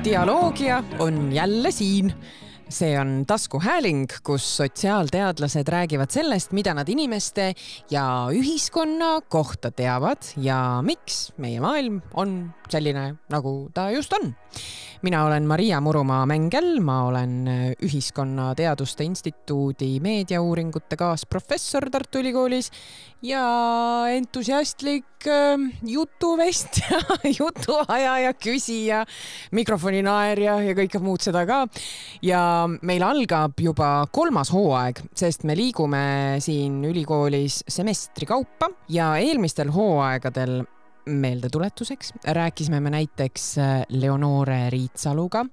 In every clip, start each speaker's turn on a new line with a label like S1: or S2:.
S1: Dialoogia on jälle siin. See on taskuhääling, kus sotsiaalteadlased räägivad sellest, mida nad inimeste ja ühiskonna kohta teavad ja miks meie maailm on selline, nagu ta just on. Mina olen Maria Murumaa-Mängel, ma olen Ühiskonnateaduste Instituudi meediauuringute kaasprofessor Tartu Ülikoolis ja entusiastlik jutuvestja, jutuajaja, küsija, mikrofoninaerja ja kõike muud seda ka. Ja meil algab juba 3. hooaeg, sest me liigume siin ülikoolis semestri kaupa ja eelmistel hooaegadel meeldetuletuseks rääkisime me näiteks Leonore Riitsaluga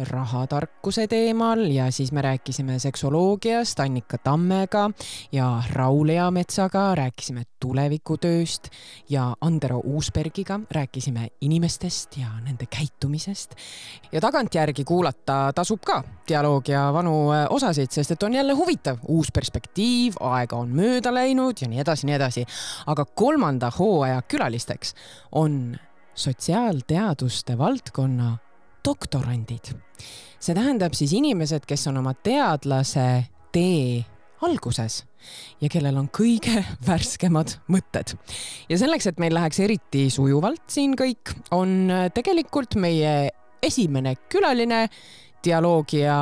S1: rahatarkuse teemal ja siis me rääkisime seksoloogiast Annika Tammega ja Raul Eametsaga, rääkisime tulevikutööst ja Andero Uusbergiga rääkisime inimestest ja nende käitumisest. Ja tagantjärgi kuulata tasub ka dialoogia vanu osasid, sest et on jälle huvitav, uus perspektiiv, aega on mööda läinud ja nii edasi, nii edasi. Aga 3. hooaja külalisteks on sotsiaalteaduste valdkonna doktorandid. See tähendab siis inimesed, kes on oma teadlase tee alguses ja kellel on kõige värskemad mõtted. Ja selleks, et meil läheks eriti sujuvalt siin kõik, on tegelikult meie esimene külaline dialoogia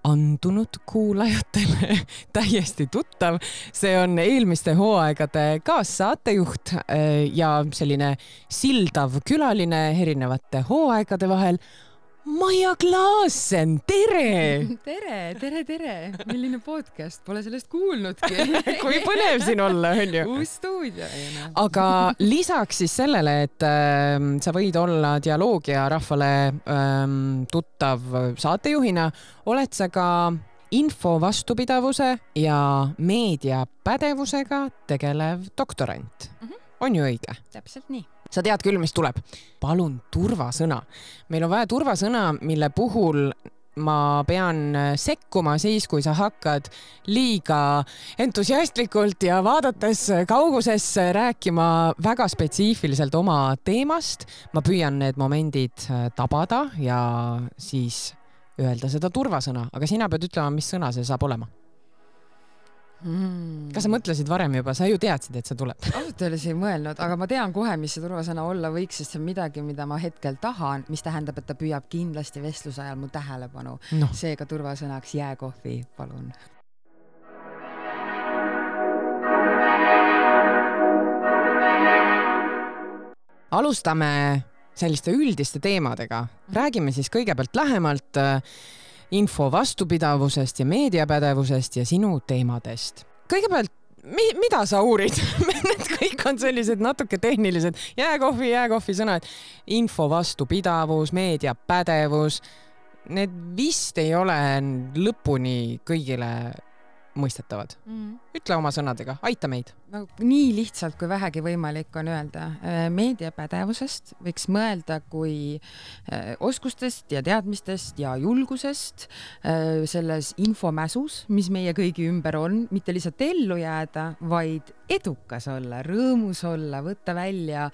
S1: andunud kuulajatele täiesti tuttav. See on eelmiste hooaegade kaassaatejuht ja selline sildav külaline erinevate hooaegade vahel. Maia Klaassen, tere!
S2: Tere! Milline podcast? Pole sellest kuulnudki.
S1: Kui põnev siin olla, on ju?
S2: Uus stuudio.
S1: Aga lisaks siis sellele, et sa võid olla dialoogia rahvale tuttav saatejuhina, oled sa ka info vastupidavuse ja meediapädevusega tegelev doktorant. On ju õige?
S2: Täpselt nii.
S1: Sa tead küll, mis tuleb. Palun turvasõna. Meil on vaja turvasõna, mille puhul ma pean sekkuma siis, kui sa hakkad liiga entusiastlikult ja vaadates kaugusesse rääkima väga spetsiifiliselt oma teemast. Ma püüan need momendid tabada ja siis öelda seda turvasõna. Aga sina pead ütlema, mis sõna see saab olema. Kas sa mõtlesid varem juba? Sa ju teadsid, et see tuleb.
S2: Ausalt öeldes ei mõelnud, aga ma tean kohe, mis see turvasõna olla võiks, sest see on midagi, mida ma hetkel tahan, mis tähendab, et ta püüab kindlasti vestluse ajal mu tähelepanu. No. Seega turvasõnaks jääkohvi, palun.
S1: Alustame selliste üldiste teemadega. Räägime siis kõigepealt lähemalt info vastupidavusest ja meediapädevusest ja sinu teemadest. Kõigepealt, mida sa uurid? Need kõik on sellised natuke tehnilised. Jääkohvi sõnad. Info vastupidavus, meediapädevus. Need vist ei ole lõpuni kõigile mõistetavad. Ütle oma sõnadega, aita meid.
S2: Nii lihtsalt, kui vähegi võimalik on öelda. Meediapädevusest võiks mõelda kui oskustest ja teadmistest ja julgusest selles infomäsus, mis meie kõigi ümber on, mitte lihtsalt ellu jääda, vaid edukas olla, rõõmus olla, võtta välja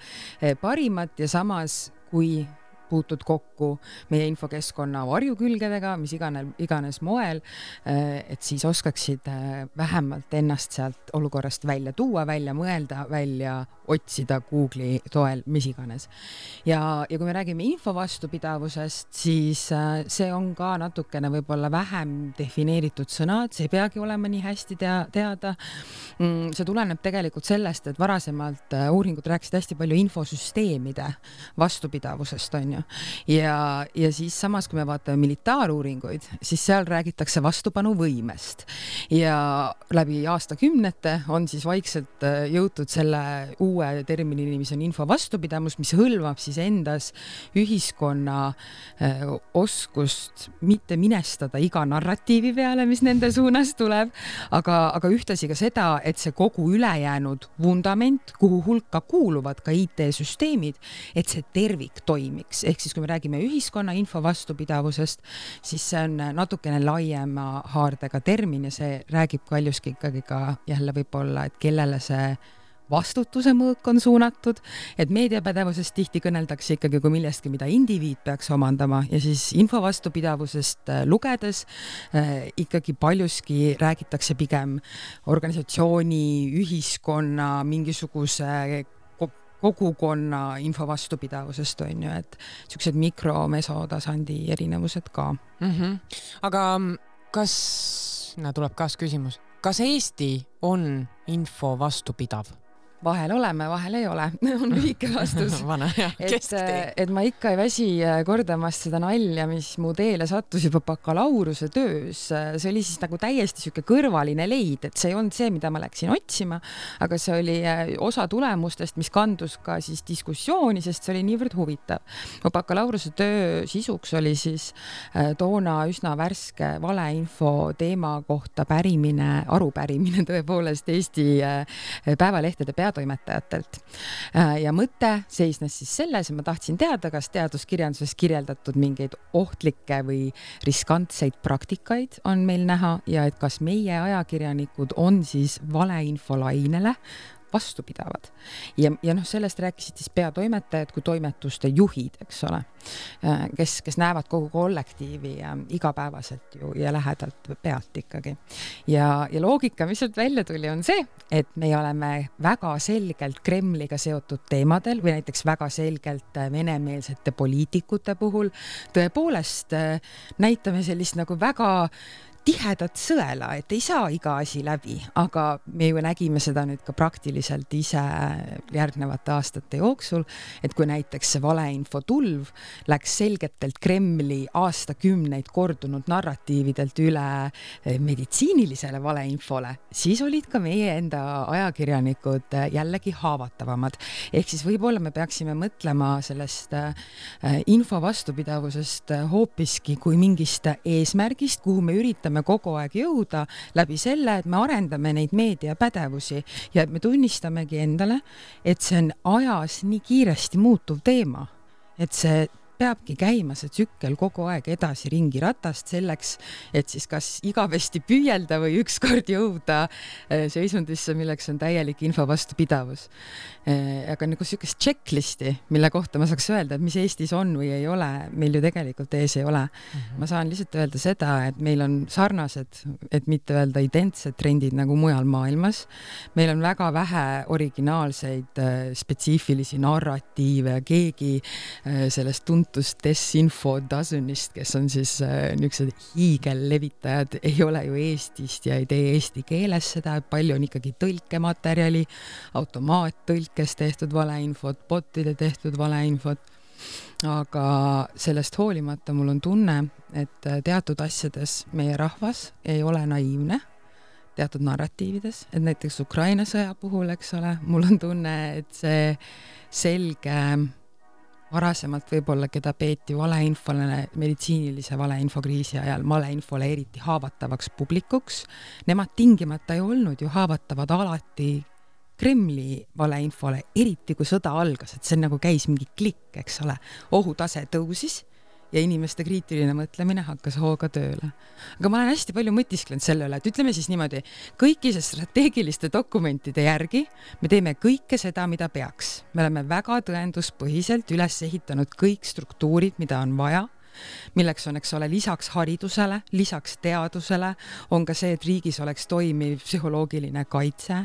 S2: parimat ja samas kui puutud kokku meie infokeskkonna varjukülgedega, mis iganes moel, et siis oskaksid vähemalt ennast sealt olukorrast välja tuua, välja mõelda, välja otsida Google'i toel, mis iganes. Ja kui me räägime info vastupidavusest, siis see on ka natukene võib-olla vähem defineeritud sõnad, see ei peagi olema nii hästi teada. See tuleneb tegelikult sellest, et varasemalt uuringud rääkisid hästi palju infosüsteemide vastupidavusest, on ju. Ja siis samas, kui me vaatame militaaruuringuid, siis seal räägitakse vastupanuvõimest. Ja läbi aastakümnete on siis vaikselt jõutud selle uue terminini, mis on info vastupidavus, mis hõlmab siis endas ühiskonna oskust mitte minestada iga narratiivi peale, mis nende suunas tuleb, aga ühtasi ka seda, et see kogu ülejäänud vundament, kuhu hulka kuuluvad ka IT-süsteemid, et see tervik toimiks. Ehk siis, kui me räägime ühiskonna info vastupidavusest, siis see on natukene laiema haardega termin ja see räägib paljuski ikkagi ka jälle võib-olla, et kellele see vastutuse mõõk on suunatud, et meediapädevusest tihti kõneldakse ikkagi kui millestki, mida indiviid peaks omandama ja siis info vastupidavusest lugedes ikkagi paljuski räägitakse pigem organisatsiooni, ühiskonna, mingisuguse kogukonna info vastupidavusest on ju, et niisugused mikro-mesotasandi erinevused ka.
S1: Aga kas, tuleb kaasküsimus, kas Eesti on info vastupidav?
S2: Vahel oleme, vahel ei ole, on lühike vastus. et ma ikka ei väsi kordamast seda nalja, mis mu teele sattus juba bakalaureuse töös. See oli siis nagu täiesti siuke kõrvaline leid, et see ei olnud see, mida ma läksin otsima, aga see oli osa tulemustest, mis kandus ka siis diskussiooni, sest see oli niivõrd huvitav. Mu bakalaureuse töö sisuks oli siis toona üsna värske valeinfo teema kohta arupärimine tõepoolest Eesti päevalehtede peatoimetajatelt. Ja mõte seisnes siis selles, et ma tahtsin teada, kas teaduskirjanduses kirjeldatud mingeid ohtlikke või riskantseid praktikaid on meil näha ja et kas meie ajakirjanikud on siis valeinfolainele vastupidavad. Ja sellest rääkisid siis peatoimetajad kui toimetuste juhid, eks ole, kes näevad kogu kollektiivi igapäevaselt ju ja lähedalt pealt ikkagi. Ja loogika, mis sealt välja tuli, on see, et me oleme väga selgelt Kremliga seotud teemadel või näiteks väga selgelt venemeelsete poliitikute puhul tõepoolest näitame sellist nagu väga tihedat sõela, et ei saa iga asi läbi, aga me ju nägime seda nüüd ka praktiliselt ise järgnevate aastate jooksul, et kui näiteks see valeinfo tulv läks selgetelt Kremli aastakümneid kordunud narratiividelt üle meditsiinilisele valeinfole, siis olid ka meie enda ajakirjanikud jällegi haavatavamad. Ehk siis võib-olla me peaksime mõtlema sellest info vastupidavusest hoopiski kui mingist eesmärgist, kuhu me üritame kogu aeg jõuda läbi selle, et me arendame neid meediapädevusi ja et me tunnistamegi endale, et see on ajas nii kiiresti muutuv teema, et see peabki käima see tsükkel kogu aeg edasi ringi ratast selleks, et siis kas igavesti püüelda või ükskord jõuda seisundisse, milleks on täielik info vastupidavus. Aga nagu niisugust checklisti, mille kohta ma saaks öelda, et mis Eestis on või ei ole, meil ju tegelikult ees ei ole. Ma saan lihtsalt öelda seda, et meil on sarnased, et mitte öelda identsed trendid nagu mujal maailmas. Meil on väga vähe originaalseid spetsiifilisi narratiive, keegi sellest desinfo dozenist, kes on siis niisugused hiigellevitajad, ei ole ju Eestist ja ei tee eesti keeles seda, palju on ikkagi tõlkematerjali, automaattõlkes tehtud valeinfot, botide tehtud valeinfot, aga sellest hoolimata mul on tunne, et teatud asjades meie rahvas ei ole naiivne, teatud narratiivides, et näiteks Ukraina sõja puhul, eks ole, mul on tunne, et see selge varasemalt võib-olla, keda peeti valeinfole, meditsiinilise valeinfokriisi ajal, valeinfole eriti haavatavaks publikuks. Nemad tingimata ei olnud ju haavatavad alati Kremli valeinfole, eriti kui sõda algas, et see nagu käis mingi klikk, eks ole. Ohutase tõusis ja inimeste kriitiline mõtlemine hakkas hooga tööle. Aga ma olen hästi palju mõtisklenud selle üle, et ütleme siis niimoodi, kõikide strateegiliste dokumentide järgi me teeme kõike seda, mida peaks. Me oleme väga tõenduspõhiselt üles ehitanud kõik struktuurid, mida on vaja, milleks on, eks ole, lisaks haridusele, lisaks teadusele, on ka see, et riigis oleks toimiv psühholoogiline kaitse,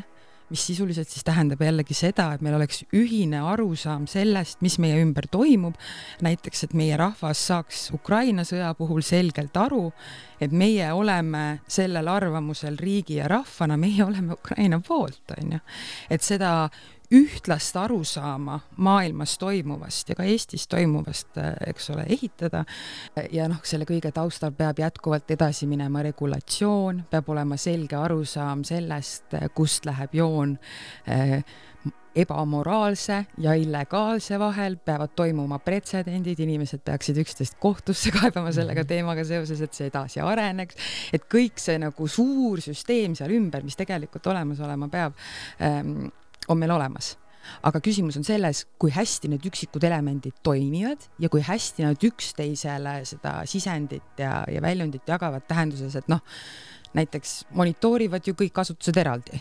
S2: mis sisuliselt siis tähendab jällegi seda, et meil oleks ühine arusaam sellest, mis meie ümber toimub. Näiteks, et meie rahvas saaks Ukraina sõja puhul selgelt aru, et meie oleme sellel arvamusel riigi ja rahvana, meie oleme Ukraina poolt, on ju. Et seda ühtlast arusaama maailmas toimuvast ja ka Eestis toimuvast, eks ole, ehitada. Ja selle kõige taustal peab jätkuvalt edasi minema regulatsioon, peab olema selge arusaam sellest, kust läheb joon ebamoraalse ja illegaalse vahel, peavad toimuma pretsedendid, inimesed peaksid üksteist kohtusse kaebama sellega teemaga seoses, et see edasi areneks, et kõik see nagu suur süsteem seal ümber, mis tegelikult olemas olema peab, on meil olemas. Aga küsimus on selles, kui hästi need üksikud elemendid toimivad ja kui hästi nad üksteisele seda sisendit ja väljundit jagavad tähenduses, et näiteks monitoorivad ju kõik asutused eraldi.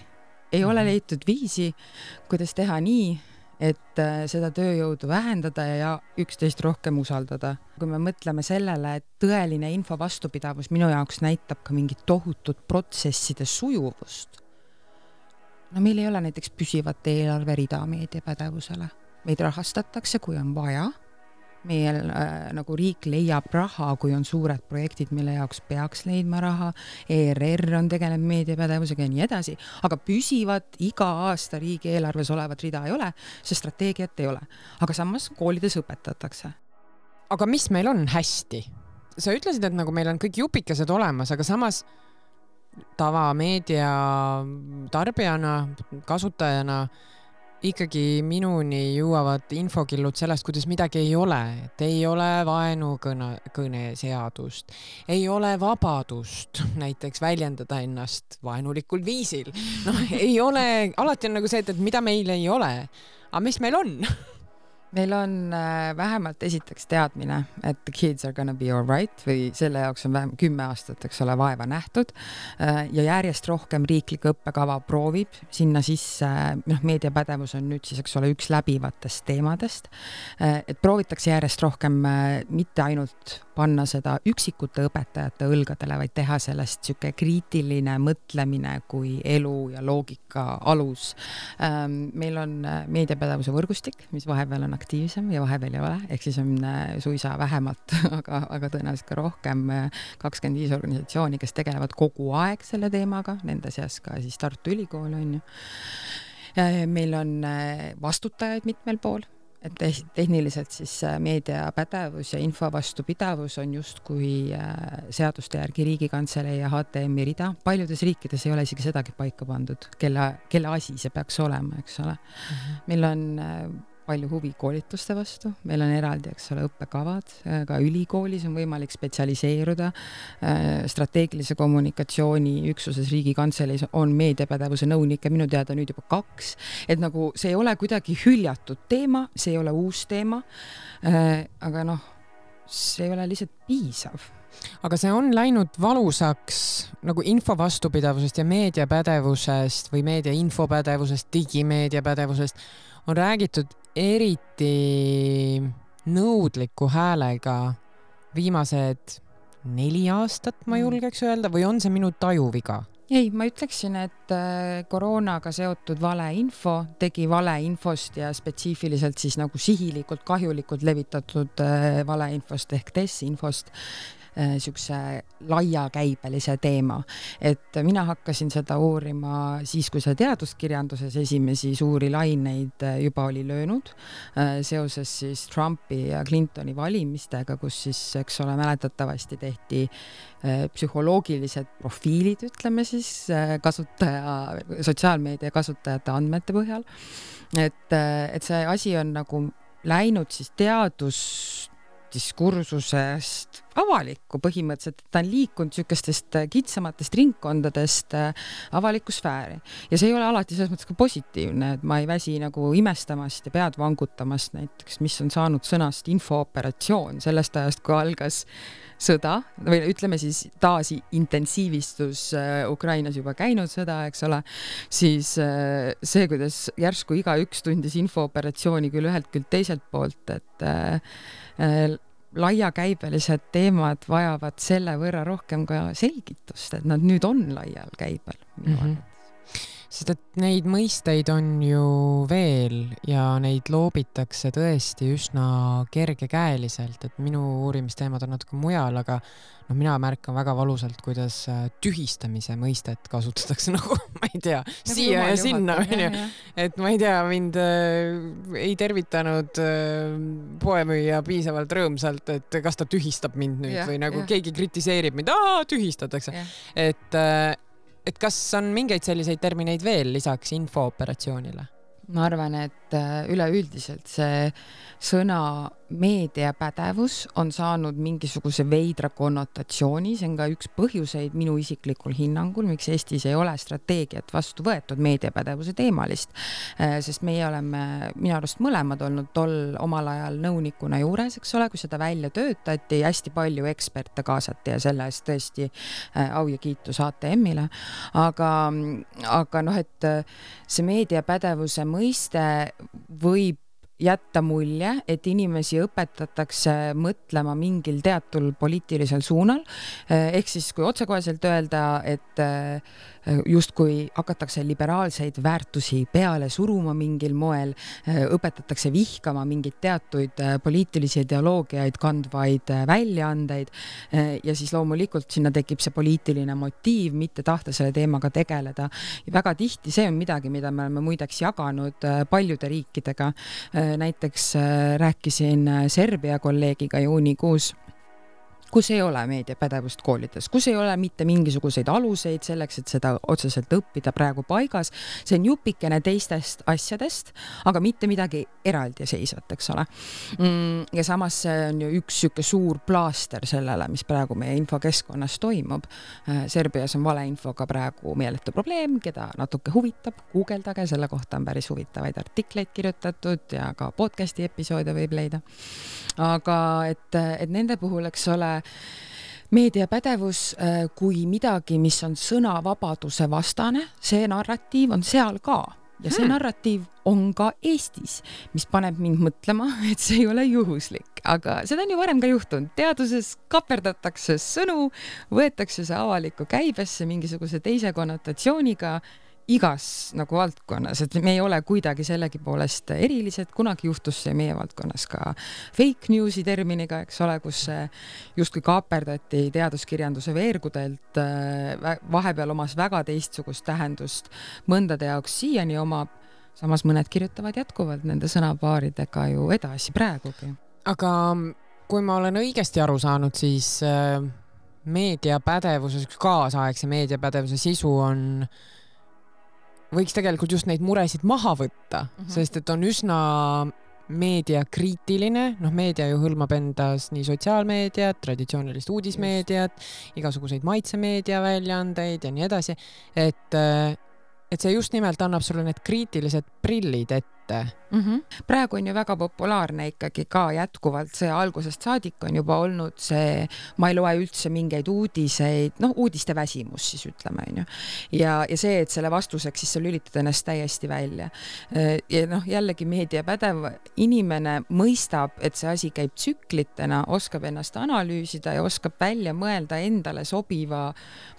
S2: ei ole leitud viisi, kuidas teha nii, et seda tööjõudu vähendada ja üksteist rohkem usaldada. Kui me mõtleme sellele, et tõeline info vastupidavus minu jaoks näitab ka mingit tohutut protsesside sujuvust. No meil ei ole näiteks püsivat eelarverida meediapädevusele. Meid rahastatakse, kui on vaja. Meil nagu riik leiab raha, kui on suured projektid, mille jaoks peaks leidma raha. ERR on tegelenud meediapädevusega ja nii edasi, aga püsivat iga aasta riigi eelarves olevat rida ei ole, see strateegiat ei ole. Aga samas koolides õpetatakse.
S1: Aga mis meil on hästi? Sa ütlesid, et nagu meil on kõik jupikesed olemas, aga samas tavameedia tarbijana, kasutajana ikkagi minuni jõuavad infokillud sellest, kuidas midagi ei ole. Et ei ole vaenukõne seadust, ei ole vabadust näiteks väljendada ennast vaenulikul viisil. No, ei ole, alati on nagu see, et mida meil ei ole. Aga mis meil on?
S2: Meil on vähemalt esiteks teadmine, et the kids are gonna be all right või selle jaoks on vähem 10 aastat, eks ole, vaeva nähtud ja järjest rohkem riiklik õppekava proovib sinna sisse, meediapädevus on nüüd siis, eks ole, üks läbivatest teemadest, et proovitakse järjest rohkem mitte ainult panna seda üksikute õpetajate õlgadele, vaid teha sellest süke kriitiline mõtlemine kui elu ja loogika alus. Meil on meediapädevuse võrgustik, mis vahepeal on aktiivsem ja vahepeal ei ole, ehk siis on suisa vähemalt, aga tõenäoliselt ka rohkem 25 organisatsiooni, kes tegelevad kogu aeg selle teemaga, nende seas ka siis Tartu Ülikool on ju. Meil on vastutajaid mitmel pool, et tehniliselt siis meediapädevus ja info vastupidavus on justkui seaduste järgi Riigikantselei ja HTM-i rida. Paljudes riikides ei ole isegi sedagi paika pandud, kelle asi see peaks olema, eks ole. Meil on palju huvi koolituste vastu, meil on eraldi, eks ole, õppekavad, ka ülikoolis on võimalik spetsialiseeruda, strateegilise kommunikatsiooni üksuses Riigikantseleis on meediapädevuse nõunik ja minu teada nüüd juba 2, et nagu see ei ole kuidagi hüljatud teema, see ei ole uus teema, aga noh, see ei ole lihtsalt piisav.
S1: Aga see on läinud valusaks nagu info vastupidavusest ja meediapädevusest või meedia infopädevusest, digimeediapädevusest on räägitud eriti nõudliku häälega viimased 4 aastat, ma julgeks öelda, või on see minu tajuviga?
S2: Ei, ma ütleksin, et koroonaga seotud valeinfo tegi valeinfost ja spetsiifiliselt siis nagu sihilikult, kahjulikult levitatud valeinfost ehk desinfost sükse laiakäibelise teema. Et mina hakkasin seda uurima siis, kui see teaduskirjanduses esimesi suuri laineid juba oli löönud seoses siis Trumpi ja Clintoni valimistega, kus siis, eks ole, mäletatavasti tehti psühholoogilised profiilid, ütleme siis, sotsiaalmeedia kasutajate andmete põhjal. Et see asi on nagu läinud siis diskursusest avalikku põhimõtteliselt, et ta on liikunud sükestest kitsamatest ringkondadest avalikku sfääri. Ja see ei ole alati selles mõttes ka positiivne, et ma ei väsi nagu imestamast ja pead vangutamast näiteks, mis on saanud sõnast infooperatsioon sellest ajast, kui algas sõda, või ütleme siis taas intensiivistus Ukrainas juba käinud sõda, eks ole, siis see, kuidas järsku igaüks tundis infooperatsiooni küll ühelt küll teiselt poolt, et laiakäibelised teemad vajavad selle võrra rohkem ka selgitust, et nad nüüd on laial käibel.
S1: Sest et neid mõisteid on ju veel ja neid loobitakse tõesti üsna kergekäeliselt, et minu uurimisteemad on natuke mujal, aga mina märkan väga valusalt, kuidas tühistamise mõistet kasutatakse nagu, ma ei tea, siia ja sinna. Et ma ei tea, mind ei tervitanud poemüüja piisavalt rõõmsalt, et kas ta tühistab mind nüüd või nagu keegi kritiseerib mind, tühistatakse. Et kas on mingeid selliseid termineid veel lisaks infooperatsioonile?
S2: Ma arvan, et üleüldiselt see sõna meediapädevus on saanud mingisuguse veidra konnotatsiooni, see on ka üks põhjuseid minu isiklikul hinnangul, miks Eestis ei ole strateegiat vastu võetud meediapädevuse teemalist, sest meie oleme minu arust mõlemad olnud tol omal ajal nõunikuna juures, eks ole, kui seda välja töötati, hästi palju eksperte kaasati ja selle eest tõesti au ja kiitus ATM-ile, aga noh, et see meediapädevuse mõiste võib jätta mulje, et inimesi õpetatakse mõtlema mingil teatul poliitilisel suunal, ehk siis kui otsekoheselt öelda, et justkui hakatakse liberaalseid väärtusi peale suruma mingil moel, õpetatakse vihkama mingit teatuid poliitilisi ideoloogiaid kandvaid väljaandeid ja siis loomulikult sinna tekib see poliitiline motiiv, mitte tahta selle teemaga tegeleda. Ja väga tihti see on midagi, mida me oleme muideks jaganud paljude riikidega. Näiteks rääkisin Serbia kolleegiga juunikuus, kus ei ole meediapädevust koolides, kus ei ole mitte mingisuguseid aluseid selleks, et seda otseselt õppida praegu paigas. See on jupikene teistest asjadest, aga mitte midagi eraldiseisvat, eks ole. Ja samas see on ju üks süke suur plaaster sellele, mis praegu meie infokeskkonnas toimub. Serbias on valeinfoga praegu meeletu probleem, keda natuke huvitab, guugeldage, selle kohta on päris huvitavaid artikleid kirjutatud ja ka podcasti episoode võib leida. Aga et nende puhul, eks ole, meediapädevus kui midagi, mis on sõnavabaduse vastane, see narratiiv on seal ka. Ja see narratiiv on ka Eestis, mis paneb mind mõtlema, et see ei ole juhuslik. Aga seda on ju varem ka juhtunud. Teaduses kaperdatakse sõnu, võetakse see avalikku käibesse mingisuguse teise konnotatsiooniga igas nagu valdkonnas, et me ei ole kuidagi sellegi poolest erilised, kunagi juhtus see meie valdkonnas ka fake newsi terminiga, eks ole, kus justkui kaaperdati teaduskirjanduse veergudelt, vahepeal omas väga teistsugust tähendust, mõndade jaoks siiani omab, samas mõned kirjutavad jätkuvalt nende sõnapaaridega ju edasi praegugi.
S1: Aga kui ma olen õigesti aru saanud, siis meediapädevuses, kaasaegse meediapädevuse sisu võiks tegelikult just neid muresid maha võtta, sest et on üsna meediakriitiline, meedia ju hõlmab endas nii sotsiaalmeediat, traditsioonilist uudismeediat, igasuguseid maitsemeedia väljaandeid ja nii edasi, et see just nimelt annab sulle need kriitilised prillid ette.
S2: Praegu on ju väga populaarne ikkagi ka jätkuvalt see algusest saadik on juba olnud see, ma ei loe üldse mingeid uudiseid, uudiste väsimus siis ütleme, on ju. Ja see, et selle vastuseks siis sa lülitad ennast täiesti välja. Ja jällegi meediapädev inimene mõistab, et see asi käib tsüklitena, oskab ennast analüüsida ja oskab välja mõelda endale sobiva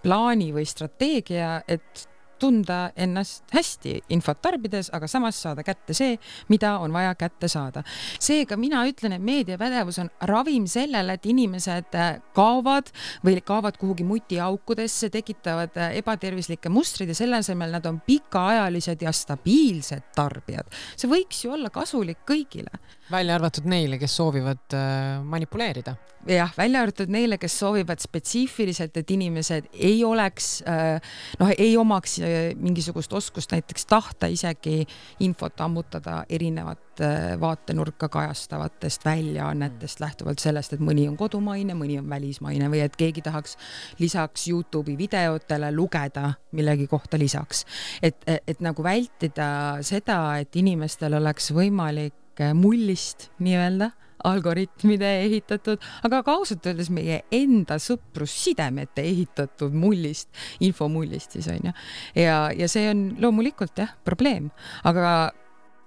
S2: plaani või strateegia, et tunda ennast hästi infot tarbides, aga samas saada kätte see, mida on vaja kätte saada. Seega mina ütlen, et meediapädevus on ravim sellele, et inimesed kaovad kuhugi mutiaukudesse, tekitavad ebatervislikke mustrid ja selle asemel nad on pikaajalised ja stabiilsed tarbijad. See võiks ju olla kasulik kõigile.
S1: Välja arvatud neile, kes soovivad manipuleerida.
S2: Jah, välja arvatud neile, kes soovivad spetsiifiliselt, et inimesed ei oleks, ei omaks mingisugust oskust näiteks tahta isegi infot ammutada erinevat vaatenurka kajastavatest väljaannetest lähtuvalt sellest, et mõni on kodumaine, mõni on välismaine või et keegi tahaks lisaks YouTube'i videotele lugeda millegi kohta lisaks. Et nagu vältida seda, et inimestel oleks võimalik mullist nii-öelda algoritmide ehitatud, aga ka ausalt öeldes meie enda sõprussidemete ehitatud mullist, infomullist siis on ju. Ja see on loomulikult probleem, aga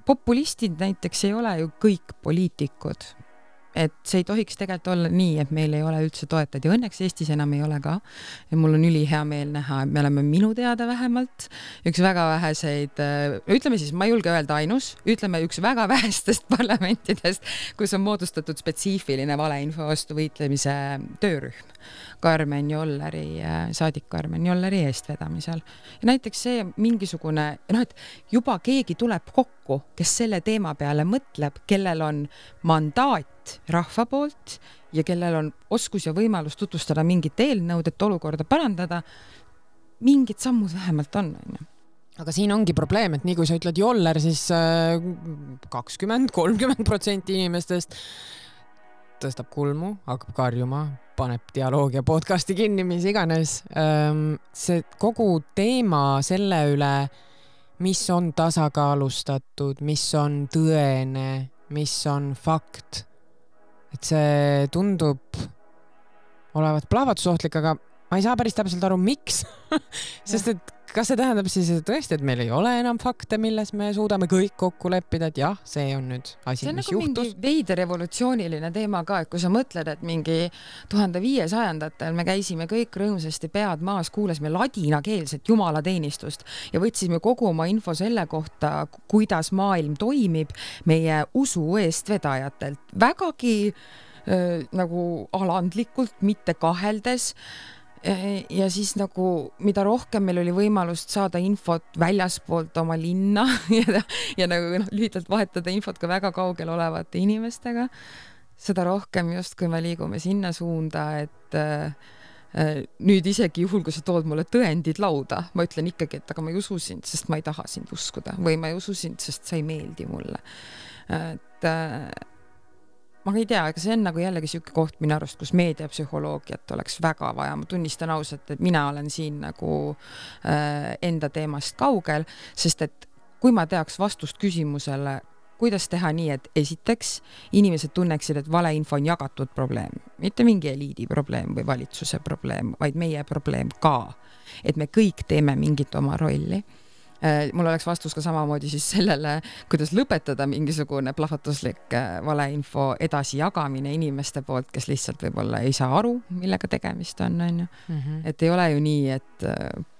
S2: populistid näiteks ei ole ju kõik poliitikud. Et see ei tohiks tegelikult olla nii, et meil ei ole üldse toetajad ja õnneks Eestis enam ei ole ka. Ja mul on ülihea meel näha, et me oleme minu teada vähemalt üks väga väheseid, ütleme siis, ma ei julge öelda ainus, ütleme üks väga vähestest parlamentidest, kus on moodustatud spetsiifiline valeinfo vastu võitlemise töörühm. Saadik Karmen Jolleri eestvedamisel. Ja näiteks see mingisugune, et juba keegi tuleb kokku, kes selle teema peale mõtleb, kellel on mandaat rahva poolt ja kellel on oskus ja võimalus tutvustada mingit eelnõud, et olukorda parandada, mingid sammud vähemalt on.
S1: Aga siin ongi probleem, et nii kui sa ütled Joller, siis 20-30% inimestest tõstab kulmu, hakkab karjuma, paneb dialoogia podcasti kinni, mis iganes. See kogu teema selle üle, mis on tasakaalustatud, mis on tõene, mis on fakt. Et see tundub olevat plahvatusohtlik, aga ma ei saa päris täpselt aru, miks. Sest et kas see tähendab siis tõesti, et meil ei ole enam fakte, milles me suudame kõik kokku leppida, et jah, see on nüüd asi, mis
S2: nagu
S1: juhtus.
S2: Mingi veider evolutsiooniline teema ka, et kui sa mõtled, et mingi 1500-ndatel me käisime kõik rõõmsasti pead maas, kuulasime ladinakeelset jumalateenistust ja võtsime kogu oma info selle kohta, kuidas maailm toimib meie usu eestvedajatelt. Vägagi nagu alandlikult, mitte kaheldes. Ja siis nagu, mida rohkem meil oli võimalust saada infot väljaspoolt oma linna ja nagu lühidalt vahetada infot ka väga kaugel olevate inimestega, seda rohkem just, kui me liigume sinna suunda, et nüüd isegi juhul, kui sa tood mulle tõendid lauda, ma ütlen ikkagi, et aga ma ei usu sind, sest ma ei taha sind uskuda või ma ei usu sind, sest sa ei meeldi mulle. Et ma ei tea, aga see on nagu jällegi siuke koht minu arust, kus meediapsühholoogiat oleks väga vaja. Ma tunnistan ausalt, et mina olen siin nagu enda teemast kaugel, sest et kui ma teaks vastust küsimusele, kuidas teha nii, et esiteks inimesed tunneksid, et valeinfo on jagatud probleem, mitte mingi eliidi probleem või valitsuse probleem, vaid meie probleem ka, et me kõik teeme mingit oma rolli. Mul oleks vastus ka samamoodi siis sellele, kuidas lõpetada mingisugune plahvatuslik valeinfo edasi jagamine inimeste poolt, kes lihtsalt võib-olla ei saa aru, millega tegemist on. Et ei ole ju nii, et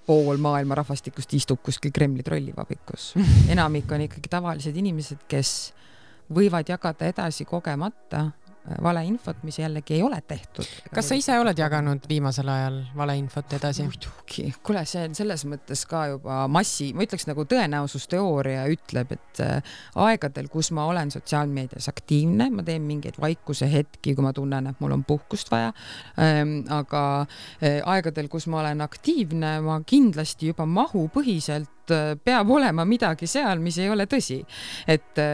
S2: pool maailma rahvastikust istub kuskil Kremli trollivabikus. Enamik on ikkagi tavalised inimesed, kes võivad jagada edasi kogemata valeinfot, mis jällegi ei ole tehtud.
S1: Kas sa ise oled jaganud viimasel ajal valeinfot edasi?
S2: Muidugi. Kuule, see on selles mõttes ka juba ma ütleks nagu tõenäosusteooria ütleb, et aegadel, kus ma olen sotsiaalmeedias aktiivne, ma teen mingeid vaikuse hetki, kui ma tunnen, et mul on puhkust vaja, aga aegadel, kus ma olen aktiivne, ma kindlasti juba mahupõhiselt peab olema midagi seal, mis ei ole tõsi. Et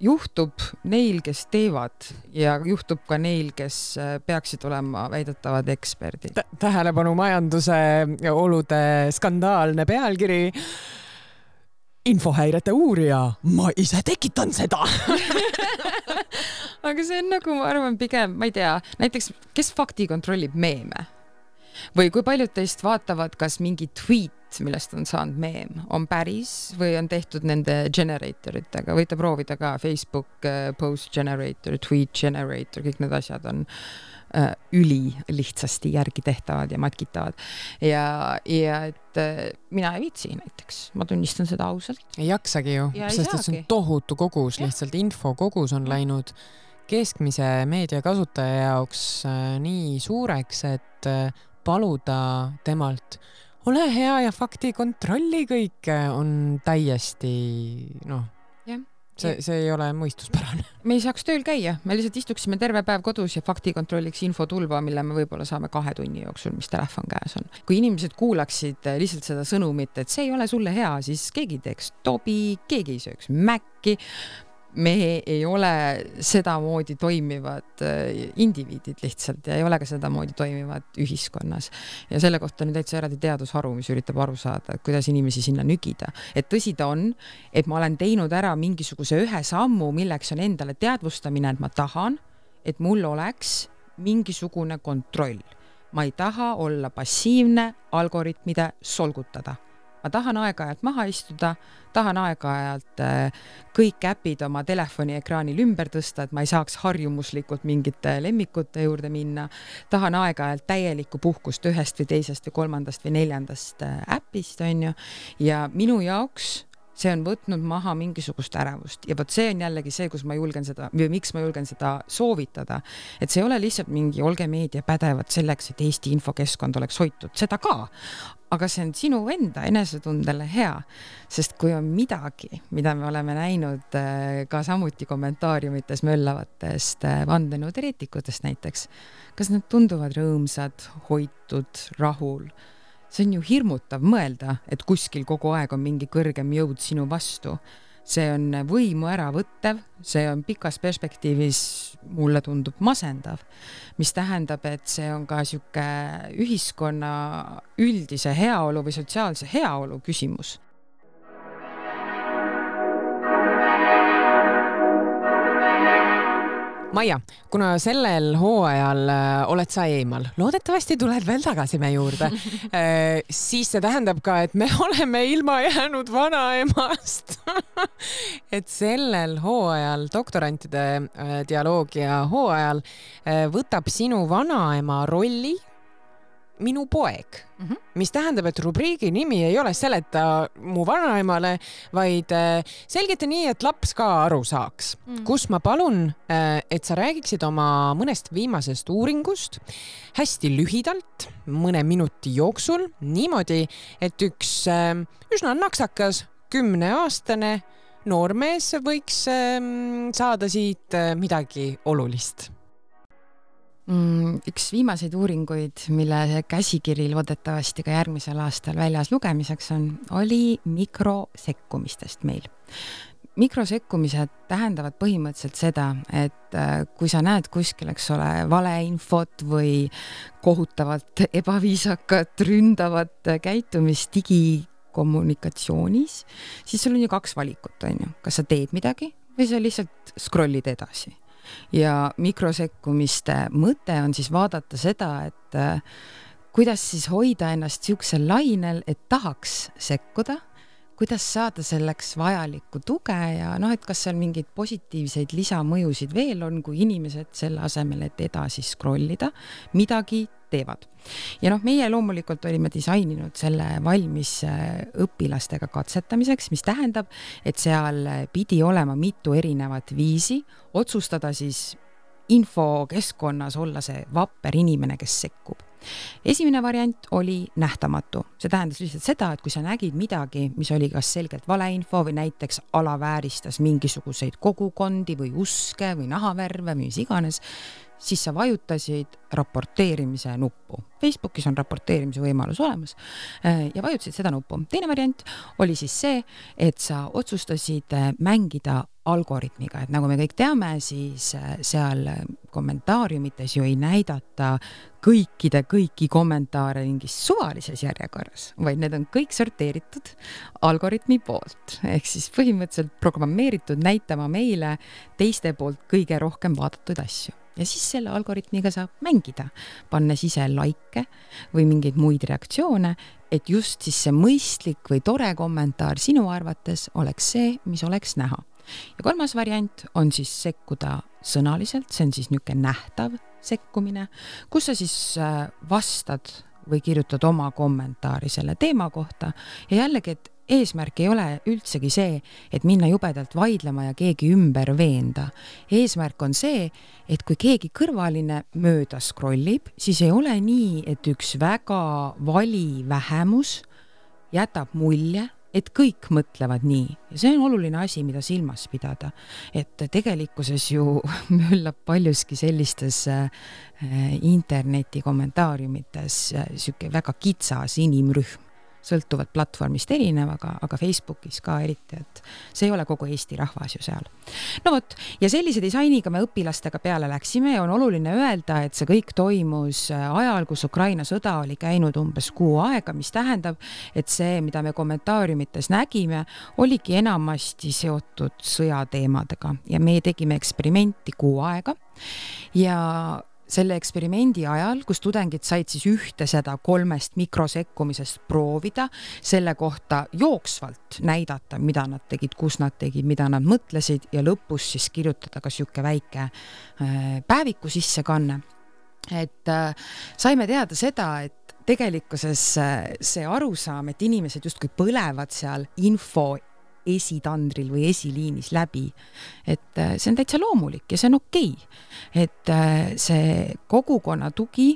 S2: juhtub neil, kes teevad ja juhtub ka neil, kes peaksid olema väidetavad eksperdid.
S1: Tähelepanu majanduse olude skandaalne pealkiri. Infohäirete uurija, ma ise tekitan seda.
S2: Aga see on nagu, ma arvan, pigem, ma ei tea, näiteks, kes fakti kontrollib meeme? Või kui paljud teist vaatavad, kas mingi tweet, millest on saanud meem, on päris või on tehtud nende generatoritega. Võite proovida ka Facebook post generator, tweet generator, kõik need asjad on üli lihtsasti järgi tehtavad ja matkitavad. Ja et mina ei viitsi näiteks, ma tunnistan seda ausalt.
S1: Ei jaksagi ju, sest et see on tohutu kogus, lihtsalt info kogus on läinud keskmise meediakasutaja jaoks nii suureks, et paluda temalt ole hea ja fakti kontrolli kõike on täiesti, see ei ole mõistuspärane.
S2: Me ei saaks tööl käia, me lihtsalt istuksime terve päev kodus ja fakti kontrolliks infotulva, mille me võib-olla saame 2 tunni jooksul, mis telefon käes on. Kui inimesed kuulaksid lihtsalt seda sõnumit, et see ei ole sulle hea, siis keegi teeks tobi, keegi ei sööks mäkki. Me ei ole sedamoodi toimivad indiviidid lihtsalt ja ei ole ka sedamoodi toimivad ühiskonnas. Ja selle kohta on täitsa eraldi teadusharu, mis üritab aru saada, et kuidas inimesi sinna nügida. Et tõsi ta on, et ma olen teinud ära mingisuguse ühe sammu, milleks on endale teadvustamine, et ma tahan, et mul oleks mingisugune kontroll. Ma ei taha olla passiivne algoritmide solgutada. Ma tahan aeg-ajalt maha istuda, tahan aeg-ajalt kõik äpid oma telefoni ekraanil ümber tõsta, et ma ei saaks harjumuslikult mingite lemmikute juurde minna. Tahan aeg-ajalt täielikku puhkust ühest või teisest või kolmandast või neljandast äpist, on ju. Ja minu jaoks see on võtnud maha mingisugust ärevust. Ja võt see on jällegi see, kus ma julgen seda, või miks ma julgen seda soovitada. Et see ei ole lihtsalt mingi olge meedia pädevad selleks, et Eesti infokeskkond oleks hoitud. Seda ka. Aga see on sinu enda enesetundele hea. Sest kui on midagi, mida me oleme näinud ka samuti kommentaariumites möllavatest vandenõuteoreetikutest näiteks, kas nad tunduvad rõõmsad, hoitud, rahul? See on ju hirmutav mõelda, et kuskil kogu aeg on mingi kõrgem jõud sinu vastu. see on võimu ära võttev, see on pikas perspektiivis, mulle tundub masendav, mis tähendab, et see on ka siuke ühiskonna üldise heaolu või sotsiaalse heaolu küsimus.
S1: Maia, kuna sellel hooajal oled sa eemal, loodetavasti tuled veel tagasi me juurde, siis see tähendab ka, et me oleme ilma jäänud vanaemast. Et sellel hooajal, doktorantide dialoogia hooajal, võtab sinu vanaema rolli minu poeg, mis tähendab, et rubriigi nimi ei ole seleta mu vanaemale, vaid selgita nii, et laps ka aru saaks. Kus ma palun, et sa räägiksid oma mõnest viimasest uuringust hästi lühidalt, mõne minuti jooksul, niimoodi, et üks üsna naksakas 10-aastane noormees võiks saada siit midagi olulist.
S2: Üks viimaseid uuringuid, mille käsikiri loodetavasti ka järgmisel aastal väljas lugemiseks on, oli mikrosekkumistest meil. Mikrosekkumised tähendavad põhimõtteliselt seda, et kui sa näed kuskil, eks ole, valeinfot või kohutavalt ebaviisakat, ründavat käitumist digikommunikatsioonis, siis sul on ju 2 valikut, on ju. Kas sa teed midagi või sa lihtsalt scrollid edasi. Ja mikrosekkumiste mõte on siis vaadata seda, et kuidas siis hoida ennast siuksel lainel, et tahaks sekkuda, kuidas saada selleks vajalikku tuge ja et kas seal mingeid positiivseid lisamõjusid veel on, kui inimesed selle asemel, et edasi scrollida, midagi teevad. Ja meie loomulikult olime disaininud selle valmis õpilastega katsetamiseks, mis tähendab, et seal pidi olema mitu erinevat viisi otsustada siis infokeskkonnas olla see vapper inimene, kes sekkub. Esimene variant oli nähtamatu. See tähendas lihtsalt seda, et kui sa nägid midagi, mis oli kas selgelt valeinfo või näiteks alavääristas mingisuguseid kogukondi või uske või nahavärve või mis iganes, siis sa vajutasid raporteerimise nuppu. Facebookis on raporteerimise võimalus olemas ja vajutasid seda nuppu. Teine variant oli siis see, et sa otsustasid mängida algoritmiga, et nagu me kõik teame, siis seal kommentaariumites ju ei näidata kõiki kommentaare mingis suvalises järjekorras, vaid need on kõik sorteeritud algoritmi poolt. Ehk siis põhimõtteliselt programmeeritud näitama meile teiste poolt kõige rohkem vaadatud asju. Ja siis selle algoritmiga saab mängida, pannes ise like või mingeid muid reaktsioone, et just siis see mõistlik või tore kommentaar sinu arvates oleks see, mis oleks näha. Ja 3. variant on siis sekkuda sõnaliselt, see on siis niisugune nähtav sekkumine, kus sa siis vastad või kirjutad oma kommentaari selle teema kohta ja jällegi, et eesmärk ei ole üldsegi see, et minna jubedalt vaidlema ja keegi ümber veenda. Eesmärk on see, et kui keegi kõrvaline mööda scrollib, siis ei ole nii, et üks väga vali vähemus jätab mulje, et kõik mõtlevad nii. Ja see on oluline asi, mida silmas pidada. Et tegelikkuses ju möllab paljuski sellistes interneti kommentaariumites siuke väga kitsas inimrühm. Sõltuvad platvormist erinevaga, aga Facebookis ka eriti, et see ei ole kogu Eesti rahvas ju seal. No vot, ja sellise disainiga me õpilastega peale läksime ja on oluline öelda, et see kõik toimus ajal, kus Ukraina sõda oli käinud umbes 6 aega, mis tähendab, et see, mida me kommentaariumites nägime, oligi enamasti seotud sõjateemadega ja me tegime eksperimenti 6 aega ja selle eksperimendi ajal, kus tudengid said siis ühte seda 3 mikrosekkumisest proovida, selle kohta jooksvalt näidata, mida nad tegid, kus nad tegid, mida nad mõtlesid ja lõpus siis kirjutada ka siuke väike päeviku sissekanne. Et saime teada seda, et tegelikkuses see arusaam, et inimesed justkui põlevad seal info esitandril või esiliinis läbi, et see on täitsa loomulik ja see on okei. Et see kogukonna tugi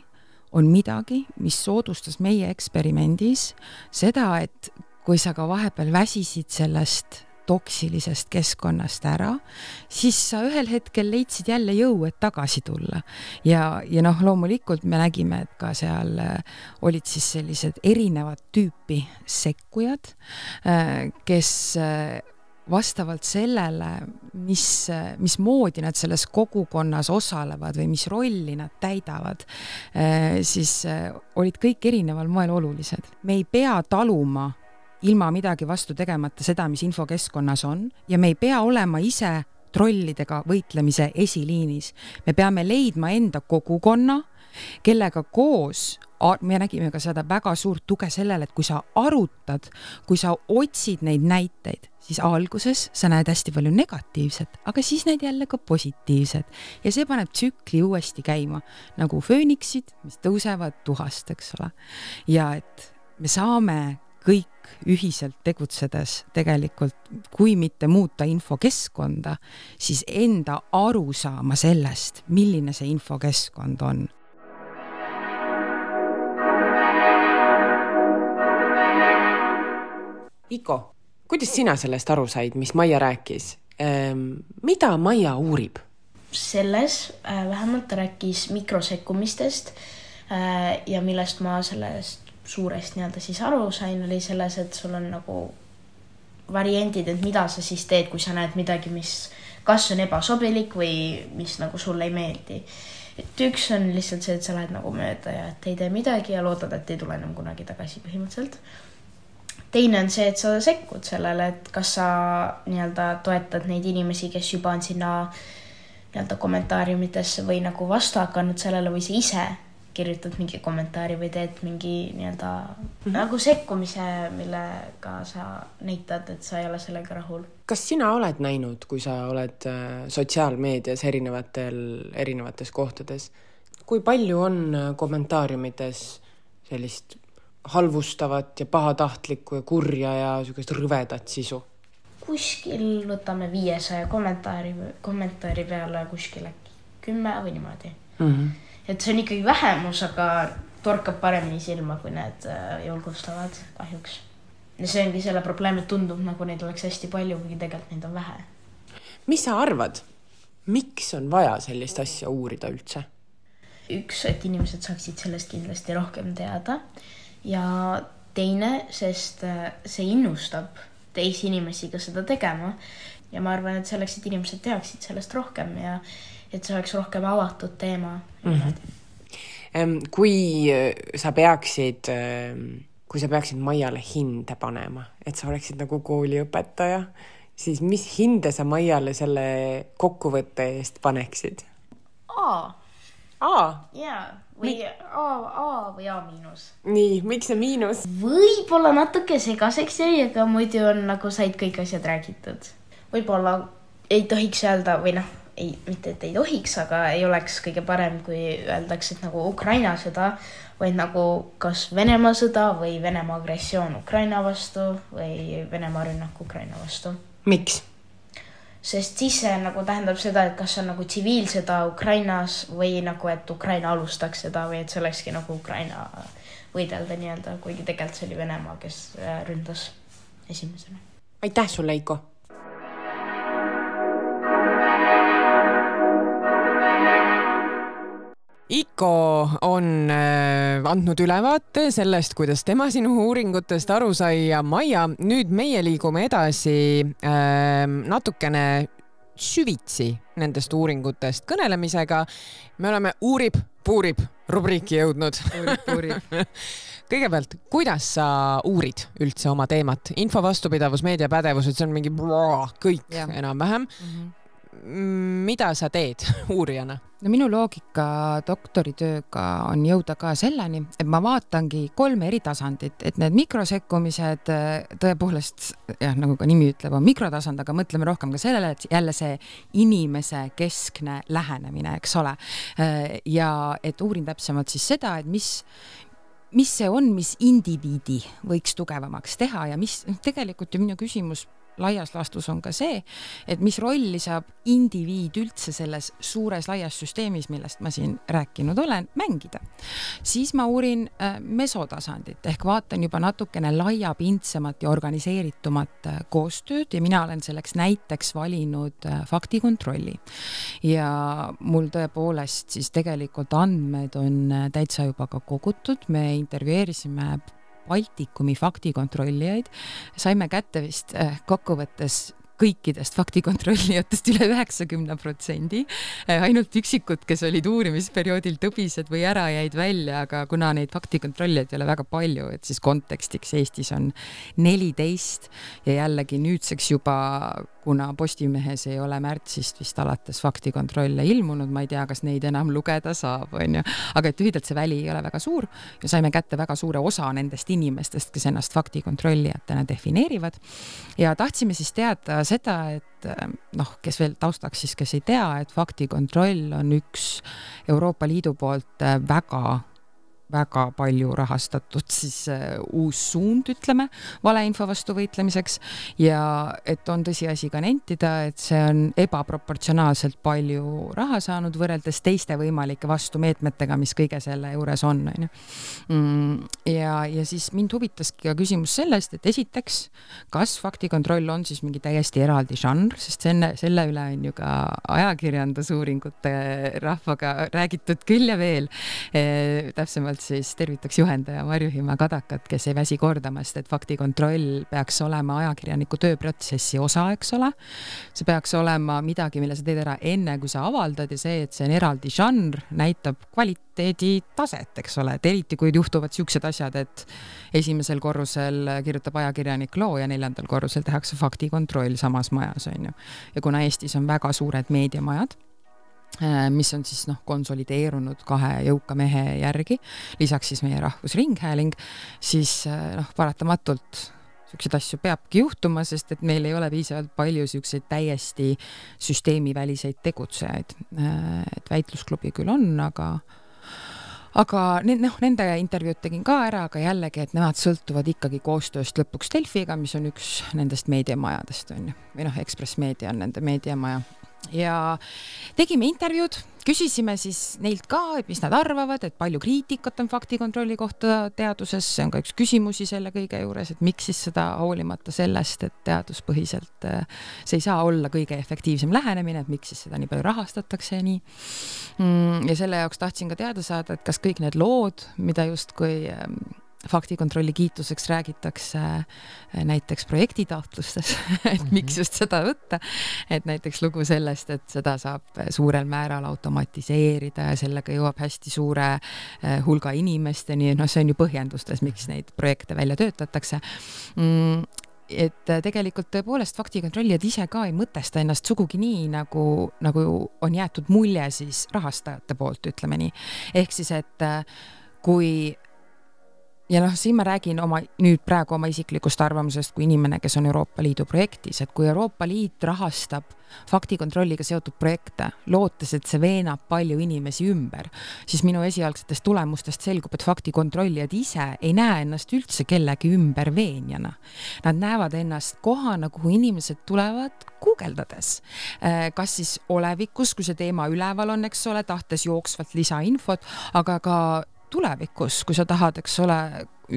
S2: on midagi, mis soodustas meie eksperimendis seda, et kui sa ka vahepeal väsisid sellest toksilisest keskkonnast ära, siis sa ühel hetkel leidsid jälle jõu, et tagasi tulla. Ja loomulikult me nägime, et ka seal olid siis sellised erinevad tüüpi sekkujad, kes vastavalt sellele, mismoodi nad selles kogukonnas osalevad või mis rolli nad täidavad, siis olid kõik erineval moel olulised. Me ei pea taluma ilma midagi vastu tegemata seda, mis infokeskkonnas on, ja me ei pea olema ise trollidega võitlemise esiliinis. Me peame leidma enda kogukonna, kellega koos, me nägime ka seda väga suurt tuge sellele, et kui sa arutad, kui sa otsid neid näiteid, siis alguses sa näed hästi palju negatiivset, aga siis näed jälle ka positiivset. Ja see paneb tsükli uuesti käima, nagu fööniksid, mis tõusevad tuhast, eks ole. Ja et me saame kõik ühiselt tegutsedes tegelikult, kui mitte muuta infokeskkonda, siis enda aru saama sellest, milline see infokeskkond on.
S1: Iko, kuidas sina sellest aru said, mis Maia rääkis? Mida Maia uurib?
S3: Selles vähemalt rääkis mikrosekkumistest ja millest ma sellest suurest siis aru sain, oli selles, et sul on nagu variandid, et mida sa siis teed, kui sa näed midagi, mis kas on ebasobilik või mis nagu sulle ei meeldi. Et üks on lihtsalt see, et sa lähed nagu mööda ja et ei tee midagi ja loodad, et ei tule enam kunagi tagasi põhimõtteliselt. Teine on see, et sa sekkud sellele, et kas sa toetad neid inimesi, kes juba on sinna kommentaariumitesse või nagu vastu hakanud sellele või sa ise kirjutad mingi kommentaari või teed mingi nagu sekkumise, millega sa näitad, et sa ei ole sellega rahul.
S1: Kas sina oled näinud, kui sa oled sotsiaalmeedias erinevates kohtades, kui palju on kommentaariumites sellist halvustavat ja pahatahtlikku ja kurja ja sellist rõvedat sisu? Kuskil
S3: võtame 500 kommentaari peale kuskil 10 või niimoodi. Et see on ikkagi vähemus, aga torkab paremini silma, kui need julgustavad kahjuks. Ja see ongi selle probleem, et tundub, nagu neid oleks hästi palju, kuigi tegelikult neid on vähe.
S1: Mis sa arvad? Miks on vaja sellist asja uurida üldse?
S3: Üks, et inimesed saaksid sellest kindlasti rohkem teada. Ja teine, sest see innustab teisi inimesi ka seda tegema. Ja ma arvan, et selleks, et inimesed teaksid sellest rohkem ja et see oleks rohkem avatud teema.
S1: Kui sa peaksid Maiale hinde panema, et sa oleksid nagu kooliõpetaja, siis mis hinde sa Maiale selle kokkuvõtte eest paneksid? A? Jaa. Või A või A miinus. Nii, miks see miinus?
S3: Võib-olla natuke segaseks jäi, aga muidu on nagu said kõik asjad räägitud. Võib-olla ei tohiks öelda või mitte, et ei tohiks, aga ei oleks kõige parem, kui öeldaks, et nagu Ukraina sõda, vaid nagu kas Venemaa sõda või Venemaa agressioon Ukraina vastu või Venemaa rünnak Ukraina vastu.
S1: Miks?
S3: Sest siis see nagu tähendab seda, et kas on nagu tsiviilsõda Ukrainas või nagu, et Ukraina alustaks seda või et see olekski nagu Ukraina võidelda kuigi tegelikult see oli Venemaa, kes ründas esimesena.
S1: Aitäh sulle, Eiko! Iko on andnud ülevaate sellest, kuidas tema sinu uuringutest aru sai ja Maia, nüüd meie liigume edasi natukene süvitsi nendest uuringutest kõnelemisega. Me oleme uurib rubriiki jõudnud. Kõigepealt, kuidas sa uurid üldse oma teemat? Info, vastupidavus, meediapädevused, see on mingi kõik enam-vähem. Mida sa teed uurijana?
S2: No minu loogika doktoritööga on jõuda ka selleni, et ma vaatangi 3 eri tasandit, et need mikrosekkumised tõepoolest, nagu ka nimi ütleb, on mikrotasand, aga mõtleme rohkem ka sellele, et jälle see inimese keskne lähenemine, eks ole. Ja et uurin täpsemalt siis seda, et mis see on, mis indiviidi võiks tugevamaks teha ja mis tegelikult ju minu küsimus laias laastus on ka see, et mis rolli saab indiviid üldse selles suures laias süsteemis, millest ma siin rääkinud olen, mängida. Siis ma uurin mesotasandit ehk vaatan juba natukene laiapindsemat ja organiseeritumat koostööd ja mina olen selleks näiteks valinud faktikontrolli. Ja mul tõepoolest siis tegelikult andmed on täitsa juba ka kogutud, me intervjueerisime Baltikumi faktikontrollijaid, saime kätte vist kokkuvõttes kõikidest faktikontrollijatest üle 90%, ainult üksikud, kes olid uurimisperioodil tõbised või ära jäid välja, aga kuna neid faktikontrollijaid ei ole väga palju, et siis kontekstiks Eestis on 14 ja jällegi nüüdseks juba, kuna Postimehes ei ole märtsist vist alates faktikontrolle ilmunud, ma ei tea, kas neid enam lugeda saab, on ju. Aga et lühidalt see väli ei ole väga suur ja saime kätte väga suure osa nendest inimestest, kes ennast faktikontrollijatena defineerivad. Ja tahtsime siis teada seda, et kes veel taustaks siis, kes ei tea, et faktikontroll on üks Euroopa Liidu poolt väga palju rahastatud siis uus suund, ütleme, valeinfo vastu võitlemiseks ja et on tõsiasi ka nentida, et see on ebaproportsionaalselt palju raha saanud võrreldes teiste võimalike vastumeetmetega, mis kõige selle juures on. Ja siis mind huvitaski ka küsimus sellest, et esiteks, kas faktikontroll on siis mingi täiesti eraldi žanr, sest selle üle on ju ka ajakirjandusuuringute rahvaga räägitud küll ja veel. Täpsemalt siis tervitaks juhendaja Marju-Hima Kadakat, kes ei väsi kordamast, et faktikontroll peaks olema ajakirjaniku tööprotsessi osa, eks ole. See peaks olema midagi, mille sa teed ära enne, kui sa avaldad ja see, et see on eraldi žanr, näitab kvaliteedi taset, eks ole. Et eriti, kui juhtuvad siuksed asjad, et esimesel korrusel kirjutab ajakirjanik loo ja 4. korrusel tehakse faktikontroll samas majas, on ju. Ja kuna Eestis on väga suured meediamajad, mis on siis konsolideerunud 2 jõuka mehe järgi, lisaks siis meie Rahvusringhääling, siis paratamatult siukseid asju peabki juhtuma, sest et meil ei ole piisavalt palju siukseid täiesti süsteemiväliseid tegutsejaid. Et väitlusklubi küll on, aga nende intervjuud tegin ka ära, aga jällegi, et nemad sõltuvad ikkagi koostööst lõpuks Delfiga, mis on üks nendest meediamajadest, on ju. Või Ekspress Meedia on nende meediamaja. Ja tegime intervjuud, küsisime siis neilt ka, et mis nad arvavad, et palju kriitikat on faktikontrolli kohta teaduses, see on ka üks küsimusi selle kõige juures, et miks siis seda hoolimata sellest, et teaduspõhiselt see ei saa olla kõige efektiivsem lähenemine, et miks siis seda nii palju rahastatakse ja nii. Ja selle jaoks tahtsin ka teada saada, et kas kõik need lood, mida justkui faktikontrolli kiituseks räägitakse näiteks projektitaotlustes, et miks just seda võtta, et näiteks lugu sellest, et seda saab suurel määral automatiseerida ja sellega jõuab hästi suure hulga inimesteni, see on ju põhjendustes, miks neid projekte välja töötatakse. Et tegelikult tõepoolest faktikontrollijad ise ka ei mõtesta ennast sugugi nii, nagu on jäetud mulje siis rahastajate poolt, ütleme nii. Ehk siis, et kui ja siin ma räägin nüüd praegu oma isiklikust arvamusest kui inimene, kes on Euroopa Liidu projektis, et kui Euroopa Liit rahastab faktikontrolliga seotud projekte, lootes, et see veenab palju inimesi ümber, siis minu esialgsetest tulemustest selgub, et faktikontrollijad ise ei näe ennast üldse kellegi ümber veenjana. Nad näevad ennast kohana, kuhu inimesed tulevad guugeldades. Kas siis olevikus, kui see teema üleval on, eks ole, tahtes jooksvalt lisainfot, aga ka tulevikus, kui sa tahad, eks ole,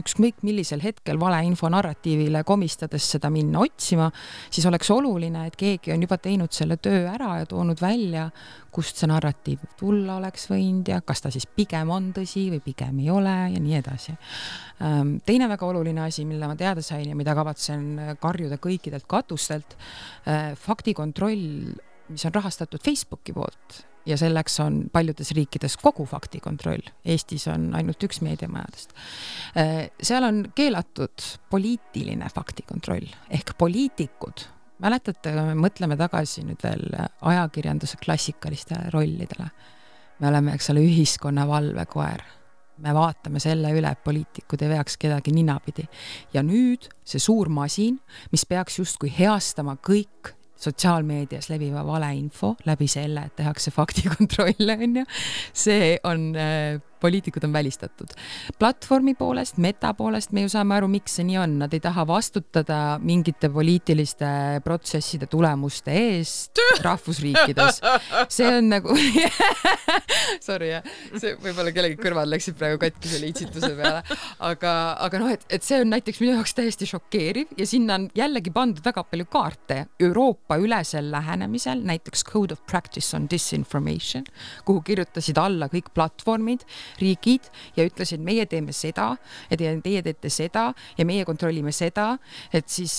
S2: ükskõik millisel hetkel valeinfo narratiivile komistades seda minna otsima, siis oleks oluline, et keegi on juba teinud selle töö ära ja toonud välja, kust see narratiiv tulla oleks võinud ja kas ta siis pigem on tõsi või pigem ei ole ja nii edasi. Teine väga oluline asi, mille ma teada sain ja mida kavatsen karjuda kõikidelt katustelt, faktikontroll, mis on rahastatud Facebooki poolt, ja selleks on paljudes riikides kogu faktikontroll. Eestis on ainult üks meediamajadest. Seal on keelatud poliitiline faktikontroll ehk poliitikud. Mäletate, me mõtleme tagasi nüüd veel ajakirjanduse klassikalistele rollidele. Me oleme, eks ole, ühiskonna valvekoer. Me vaatame selle üle, et poliitikud ei veaks kedagi ninapidi. Ja nüüd see suur masin, mis peaks justkui heastama kõik sotsiaalmeedias leviva valeinfo läbi selle, et tehakse faktikontrolle, on ju. See on, poliitikud on välistatud. Platvormi poolest, meta poolest me ju saame aru, miks see nii on. Nad ei taha vastutada mingite poliitiliste protsesside tulemuste eest rahvusriikides. See on nagu sorry, see võib-olla kellegi kõrvad läksid praegu katki selle itsituse peale. Aga et see on näiteks minu jaoks täiesti šokeeriv ja sinna on jällegi pandud väga palju kaarte Euroopa ülesel lähenemisel, näiteks Code of Practice on Disinformation, kuhu kirjutasid alla kõik platvormid, riigid ja ütlesid, meie teeme seda ja teie teete seda ja meie kontrollime seda, et siis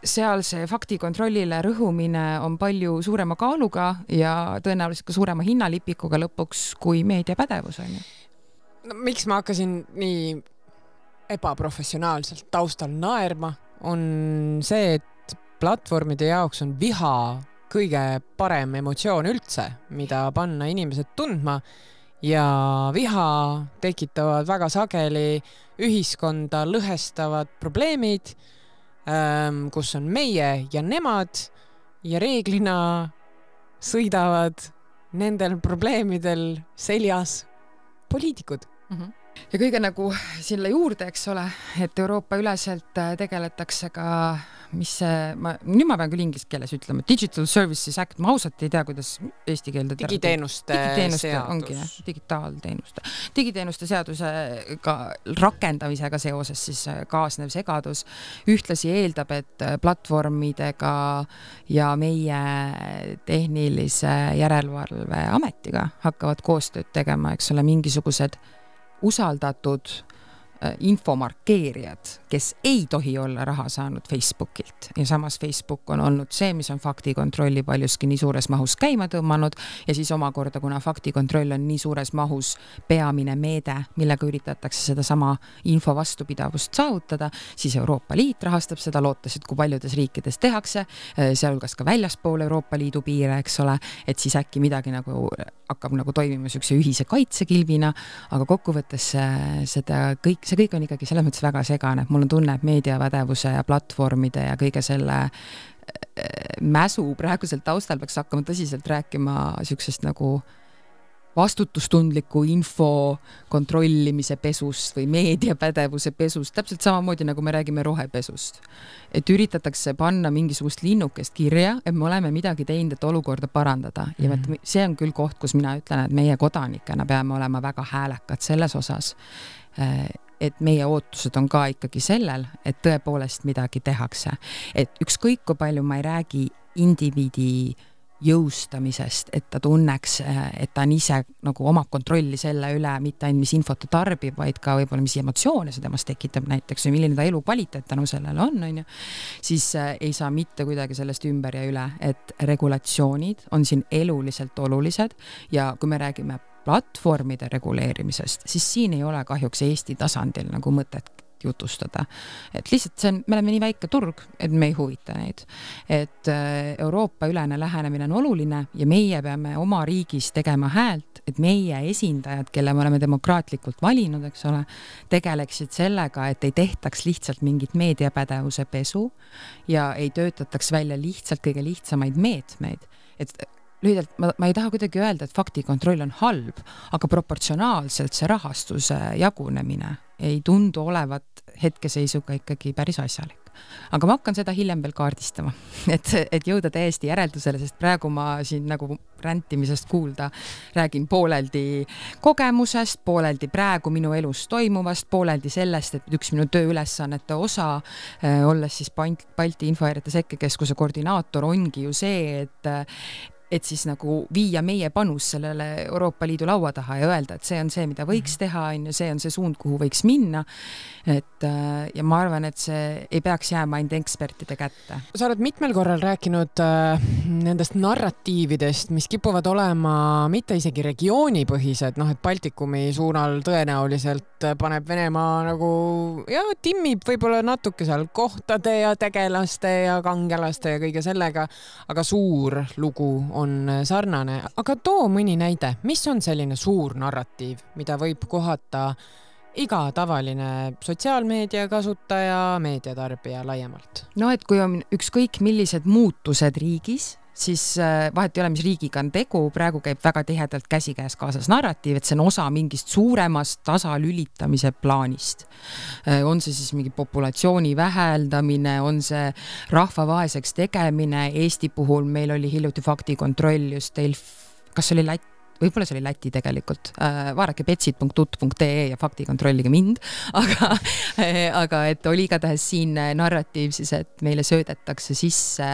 S2: seal see faktikontrollile rõhumine on palju suurema kaaluga ja tõenäoliselt ka suurema hinnalipikuga lõpuks kui meediapädevus on ju.
S1: No, miks ma hakkasin nii ebaprofessionaalselt taustal naerma, on see, et platvormide jaoks on viha kõige parem emotsioon üldse, mida panna inimesed tundma ja viha tekitavad väga sageli ühiskonda lõhestavad probleemid, kus on meie ja nemad ja reeglina sõidavad nendel probleemidel seljas poliitikud.
S2: Ja kõige nagu selle juurde, eks ole, et Euroopa üleselt tegeletakse ka, mis see, nüüd ma pean küll inglise keeles ütlema, Digital Services Act, ma ausalt ei tea, kuidas eesti keelde
S1: digiteenuste seadus.
S2: Digiteenuste seadusega rakendamisega seoses siis kaasnev segadus ühtlasi eeldab, et platvormidega ja meie tehnilise järelevalve ametiga hakkavad koostööd tegema, eks ole, mingisugused usaldatud infomarkeerijad, kes ei tohi olla raha saanud Facebookilt ja samas Facebook on olnud see, mis on faktikontrolli paljuski nii suures mahus käima tõmmanud ja siis omakorda, kuna faktikontroll on nii suures mahus peamine meede, millega üritatakse seda sama info vastupidavust saavutada, siis Euroopa Liit rahastab seda, lootes, et kui paljudes riikides tehakse, sealhulgas ka väljaspool Euroopa Liidu piire, eks ole, et siis äkki midagi nagu hakkab nagu toimima sükse ühise kaitsekilvina, aga kokkuvõttes see kõik on ikkagi selles mõttes väga segane. Mul on tunne, et meediapädevuse ja platvormide ja kõige selle mäsu praegusel taustal peaks hakkama tõsiselt rääkima süksest nagu vastutustundliku info kontrollimise pesust või meediapädevuse pesust, täpselt samamoodi nagu me räägime rohepesust. Et üritatakse panna mingisugust linnukest kirja, et me oleme midagi teinud, et olukorda parandada. Ja see on küll koht, kus mina ütlen, et meie kodanikena peame olema väga häälekad selles osas, et meie ootused on ka ikkagi sellel, et tõepoolest midagi tehakse. Et ükskõik kui palju ma ei räägi indiviidi jõustamisest, et ta tunneks, et ta on ise nagu omab kontrolli selle üle, mitte ainult mis infot ta tarbib, vaid ka võib-olla mis emotsioone see temast tekitab näiteks või milline ta elu kvaliteet tänu sellele on ju, siis ei saa mitte kuidagi sellest ümber ja üle, et regulatsioonid on siin eluliselt olulised ja kui me räägime platvormide reguleerimisest, siis siin ei ole kahjuks Eesti tasandil nagu mõtet jutustada. Et lihtsalt me oleme nii väike turg, et me ei huvita neid. Et Euroopa ülene lähenemine on oluline ja meie peame oma riigis tegema häält, et meie esindajad, kelle me oleme demokraatlikult valinud, eks ole, tegeleksid sellega, et ei tehtaks lihtsalt mingit meediapädevuse pesu ja ei töötataks välja lihtsalt kõige lihtsamaid meetmeid. Et lühidalt, ma ei taha kuidagi öelda, et faktikontroll on halb, aga proportsionaalselt see rahastuse jagunemine ei tundu olevat hetkeseisuga ikkagi päris asjalik. Aga ma hakkan seda hiljem veel kaardistama, et jõuda täiesti järeldusele, sest praegu ma siin nagu räntimisest kuulda räägin pooleldi kogemusest, pooleldi praegu minu elus toimuvast, pooleldi sellest, et üks minu tööülesannete osa, olles siis Balti Infohäirete Sekkekeskuse koordinaator, ongi ju see, et siis nagu viia meie panus sellele Euroopa Liidu laua taha ja öelda, et see on see, mida võiks teha, see on see suund, kuhu võiks minna. Ja ma arvan, et see ei peaks jääma ainult ekspertide kätte.
S1: Sa oled mitmel korral rääkinud nendest narratiividest, mis kipuvad olema mitte isegi regioonipõhised, et Baltikumi suunal tõenäoliselt paneb Venemaa nagu timmib võib-olla natuke seal kohtade ja tegelaste ja kangelaste ja kõige sellega, aga suur lugu on sarnane. Aga too mõni näide, mis on selline suur narratiiv, mida võib kohata iga tavaline sotsiaalmeedia kasutaja, meediatarbija laiemalt?
S2: No, et kui on ükskõik millised muutused riigis, siis vahet ei ole, mis riigiga on tegu, praegu käib väga tihedalt käsikäes kaasas narratiiv, et see on osa mingist suuremast tasalülitamise plaanist. On see siis mingi populatsiooni väheldamine, on see rahva vaeseks tegemine. Eesti puhul meil oli hiljuti faktikontroll just kas oli võib-olla see oli Läti tegelikult, vaadake petsid.ut.ee ja faktikontrollige mind, aga et oli igatahes siin narratiiv siis, et meile söödetakse sisse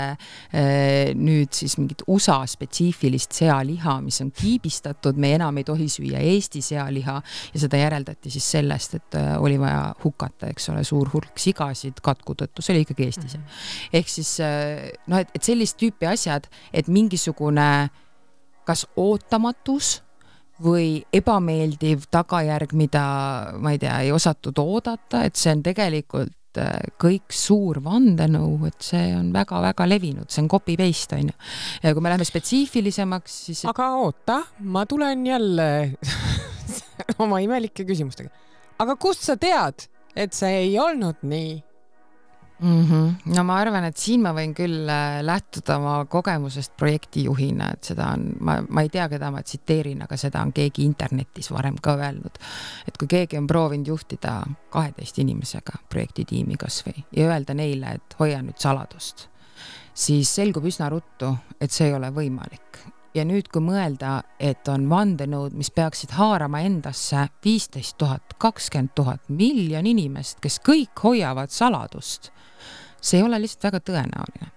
S2: nüüd siis mingit USA spetsiifilist sealiha, mis on kiibistatud, me enam ei tohi süüa Eesti sealiha ja seda järeldati siis sellest, et oli vaja hukata, eks ole, suur hulk sigasid katku tõttu, see oli ikkagi Eestis. Ehk siis, et sellist tüüpi asjad, et mingisugune kas ootamatus või ebameeldiv tagajärg, mida, ma ei tea, ei osatud oodata, et see on tegelikult kõik suur vandenõu, et see on väga-väga levinud, see on copy-paste, on ju. Ja kui me läheme spetsiifilisemaks, siis...
S1: Aga oota, ma tulen jälle oma imelike küsimustega. Aga kust sa tead, et see ei olnud nii?
S2: No ma arvan, et siin ma võin küll lähtuda oma kogemusest projektijuhina, et seda on, ma ei tea, keda ma tsiteerin, aga seda on keegi internetis varem ka öelnud, et kui keegi on proovinud juhtida 12 inimesega projektitiimi kas või ja öelda neile, et hoia nüüd saladust, siis selgub üsna ruttu, et see ei ole võimalik. Ja nüüd, kui mõelda, et on vandenõud, mis peaksid haarama endasse 15 000, 20 000, miljon inimest, kes kõik hoiavad saladust, see ei ole lihtsalt väga tõenäoline.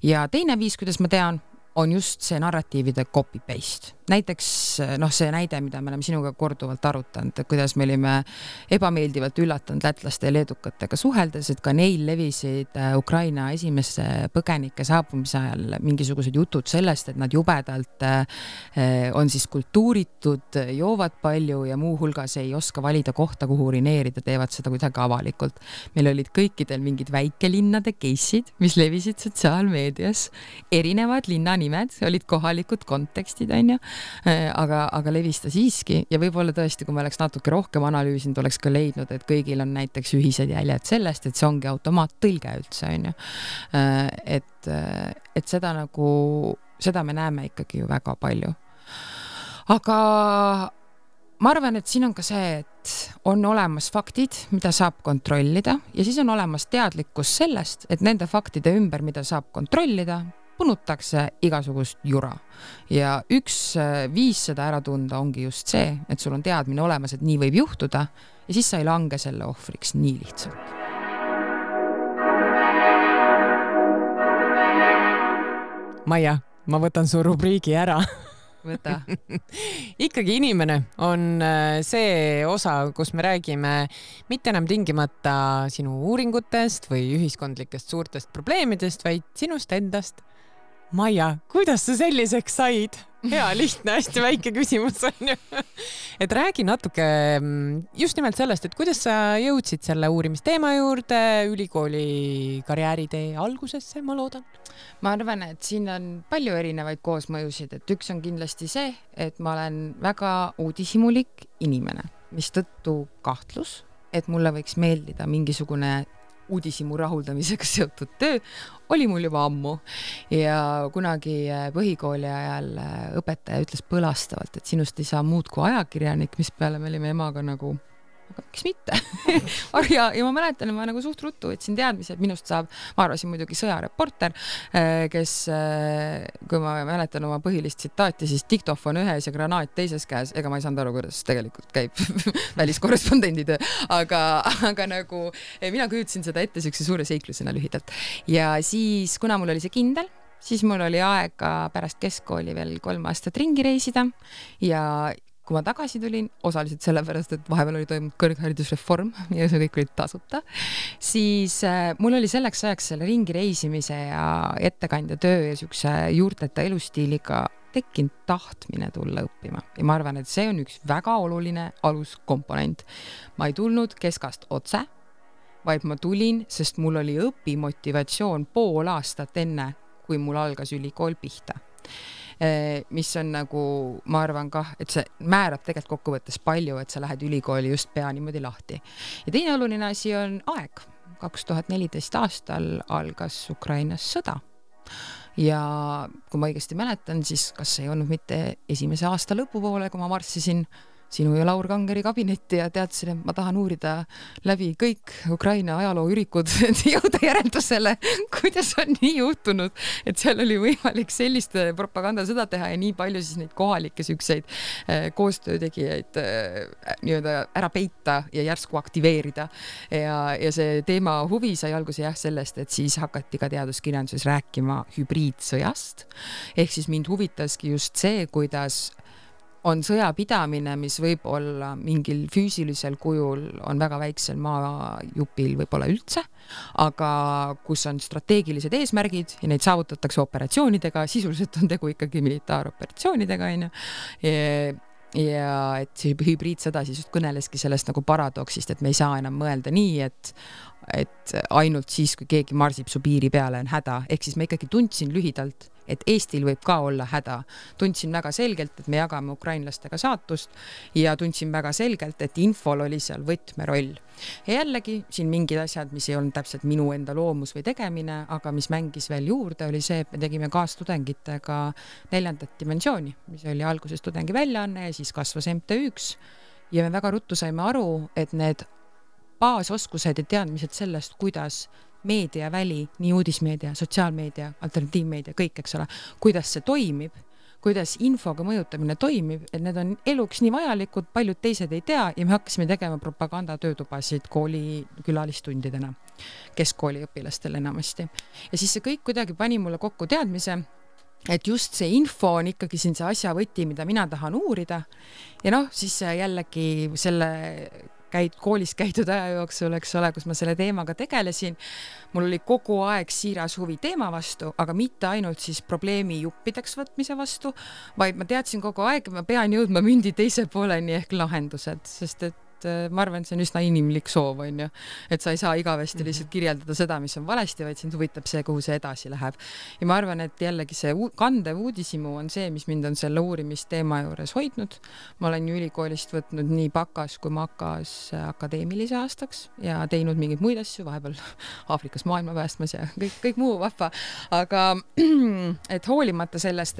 S2: Ja teine viis, kuidas ma tean, on just see narratiivide copy-paste. Näiteks see näide, mida me oleme sinuga korduvalt arutanud, kuidas me olime ebameeldivalt üllatanud lätlaste ja leedukatega suheldes, et ka neil levisid Ukraina esimese põgenike saabumise ajal mingisugused jutud sellest, et nad jubedalt on siis kultuuritud, joovad palju ja muu hulgas ei oska valida kohta, kuhu urineerida, teevad seda kuidagi avalikult. Meil olid kõikidel mingid väikelinnade case'id, mis levisid sotsiaalmeedias, erinevad linnanimed, olid kohalikud kontekstid, on ju, aga levista siiski ja võib-olla tõesti, kui me oleks natuke rohkem analüüsinud, oleks ka leidnud, et kõigil on näiteks ühised jäljed sellest, et see ongi automaattõlge üldse, on ju. Et seda me näeme ikkagi ju väga palju. Aga ma arvan, et siin on ka see, et on olemas faktid, mida saab kontrollida ja siis on olemas teadlikkus sellest, et nende faktide ümber, mida saab kontrollida, punutakse igasugust jura. Ja üks viis seda ära tunda ongi just see, et sul on teadmine olemas, et nii võib juhtuda ja siis sa ei lange selle ohvriks nii lihtsalt.
S1: Maia, ma võtan su rubriigi ära.
S2: Võta.
S1: Ikkagi inimene on see osa, kus me räägime mitte enam tingimata sinu uuringutest või ühiskondlikest suurtest probleemidest, vaid sinust endast. Maia, kuidas sa selliseks said? Hea, lihtne, hästi väike küsimus on ju. Et räägi natuke just nimelt sellest, et kuidas sa jõudsid selle uurimisteema juurde ülikooli karjääritee algusesse, ma loodan?
S2: Ma arvan, et siin on palju erinevaid koosmõjusid, et üks on kindlasti see, et ma olen väga uudishimulik inimene, mis tõttu kahtlus, et mulle võiks meeldida mingisugune uudishimu rahuldamisega seotud töö, oli mul juba ammu ja kunagi põhikooli ajal õpetaja ütles põlastavalt, et sinust ei saa muud kui ajakirjanik, mis peale me olime emaga nagu, aga miks mitte? ja ma mäletan, ma nagu suht ruttu võtsin teadmise, et minust saab, ma arvasin muidugi sõjareporter, kes, kui ma mäletan oma põhilist tsitaati, siis diktofon ühes ja granaat teises käes, ega ma ei saanud aru, kuidas tegelikult käib väliskorrespondendi töö, aga nagu mina kujutasin seda ette sükse suure seiklusena lühidalt. Ja siis, kuna mul oli see kindel, siis mul oli aega pärast keskkooli veel 3 aastat ringi reisida ja kui ma tagasi tulin, osaliselt sellepärast, et vahepeal oli toimunud kõrgharidusreform ja see kõik oli tasuta, siis mul oli selleks ajaks selle ringi reisimise ja ettekandja töö ja sükse juurteta elustiiliga tekkinud tahtmine tulla õppima. Ja ma arvan, et see on üks väga oluline aluskomponent. Ma ei tulnud keskast otse, vaid ma tulin, sest mul oli õpimotivatsioon pool aastat enne, kui mul algas ülikool pihta. Mis on nagu, ma arvan kah, et see määrab tegelikult kokkuvõttes palju, et sa lähed ülikooli just pea niimoodi lahti. Ja teine oluline asi on aeg. 2014 aastal algas Ukrainas sõda. Ja kui ma õigesti mäletan, siis kas ei olnud mitte esimese aasta lõpupoole, kui ma marssisin sinu ja Laur Kangeri kabinetti ja teadsin, et ma tahan uurida läbi kõik Ukraina ajalooürikud, et jõuda järeldusele, kuidas on nii juhtunud, et seal oli võimalik sellist propagandasõda teha ja nii palju siis neid kohalikke sükseid koostöötegijaid nii-öelda ära peita ja järsku aktiveerida. Ja see teema huvi sai alguse sellest, et siis hakati ka teaduskirjanduses rääkima hübriidsõjast. Ehk siis mind huvitaski just see, kuidas on sõjapidamine, mis võib olla mingil füüsilisel kujul on väga väiksel maajupil võib-olla üldse, aga kus on strateegilised eesmärgid ja neid saavutatakse operatsioonidega, sisuliselt on tegu ikkagi militaaroperatsioonidega, ja et see hübriidsõda siis just kõneleski sellest nagu paradoksist, et me ei saa enam mõelda nii, et ainult siis, kui keegi marsib su piiri peale on häda, ehk siis ma ikkagi tundsin lühidalt, et Eestil võib ka olla häda. Tundsin väga selgelt, et me jagame ukrainlastega saatust ja tundsin väga selgelt, et infol oli seal võtmeroll. Ja jällegi siin mingid asjad, mis ei olnud täpselt minu enda loomus või tegemine, aga mis mängis veel juurde, oli see, et me tegime kaastudengitega 4. dimensiooni, mis oli alguses tudengi väljaanne ja siis kasvas MTÜ-ks ja me väga ruttu saime aru, et need baasoskused ja teadmised sellest, kuidas meediaväli, nii uudismeedia, sotsiaalmeedia, alternatiivmeedia, kõik, eks ole, kuidas see toimib, kuidas infoga mõjutamine toimib, et need on eluks nii vajalikud, paljud teised ei tea ja me hakkasime tegema propagandatöötubasid kooli külalistundidena, keskkooli õpilastele enamasti. Ja siis see kõik kuidagi pani mulle kokku teadmise, et just see info on ikkagi siin see asja võti, mida mina tahan uurida ja siis jällegi selle koolis käidud aja jooksul, eks ole, kus ma selle teemaga tegelesin. Mul oli kogu aeg siiras huvi teema vastu, aga mitte ainult siis probleemi juppideks võtmise vastu, vaid ma teadsin kogu aeg, et ma pean jõudma mündi teise pooleni ehk lahendused, sest et ma arvan, et see on üsna inimlik soov, on ju, et sa ei saa igavesti lihtsalt kirjeldada seda, mis on valesti, vaid sind huvitab see, kuhu see edasi läheb. Ja ma arvan, et jällegi see kandev uudisimu on see, mis mind on selle uurimisteema juures hoidnud. Ma olen ju ülikoolist võtnud nii bakas kui makas akadeemilise aastaks ja teinud mingeid muid asju, vahepeal Aafrikas maailma päästmas ja kõik muu vahva. Aga et hoolimata sellest,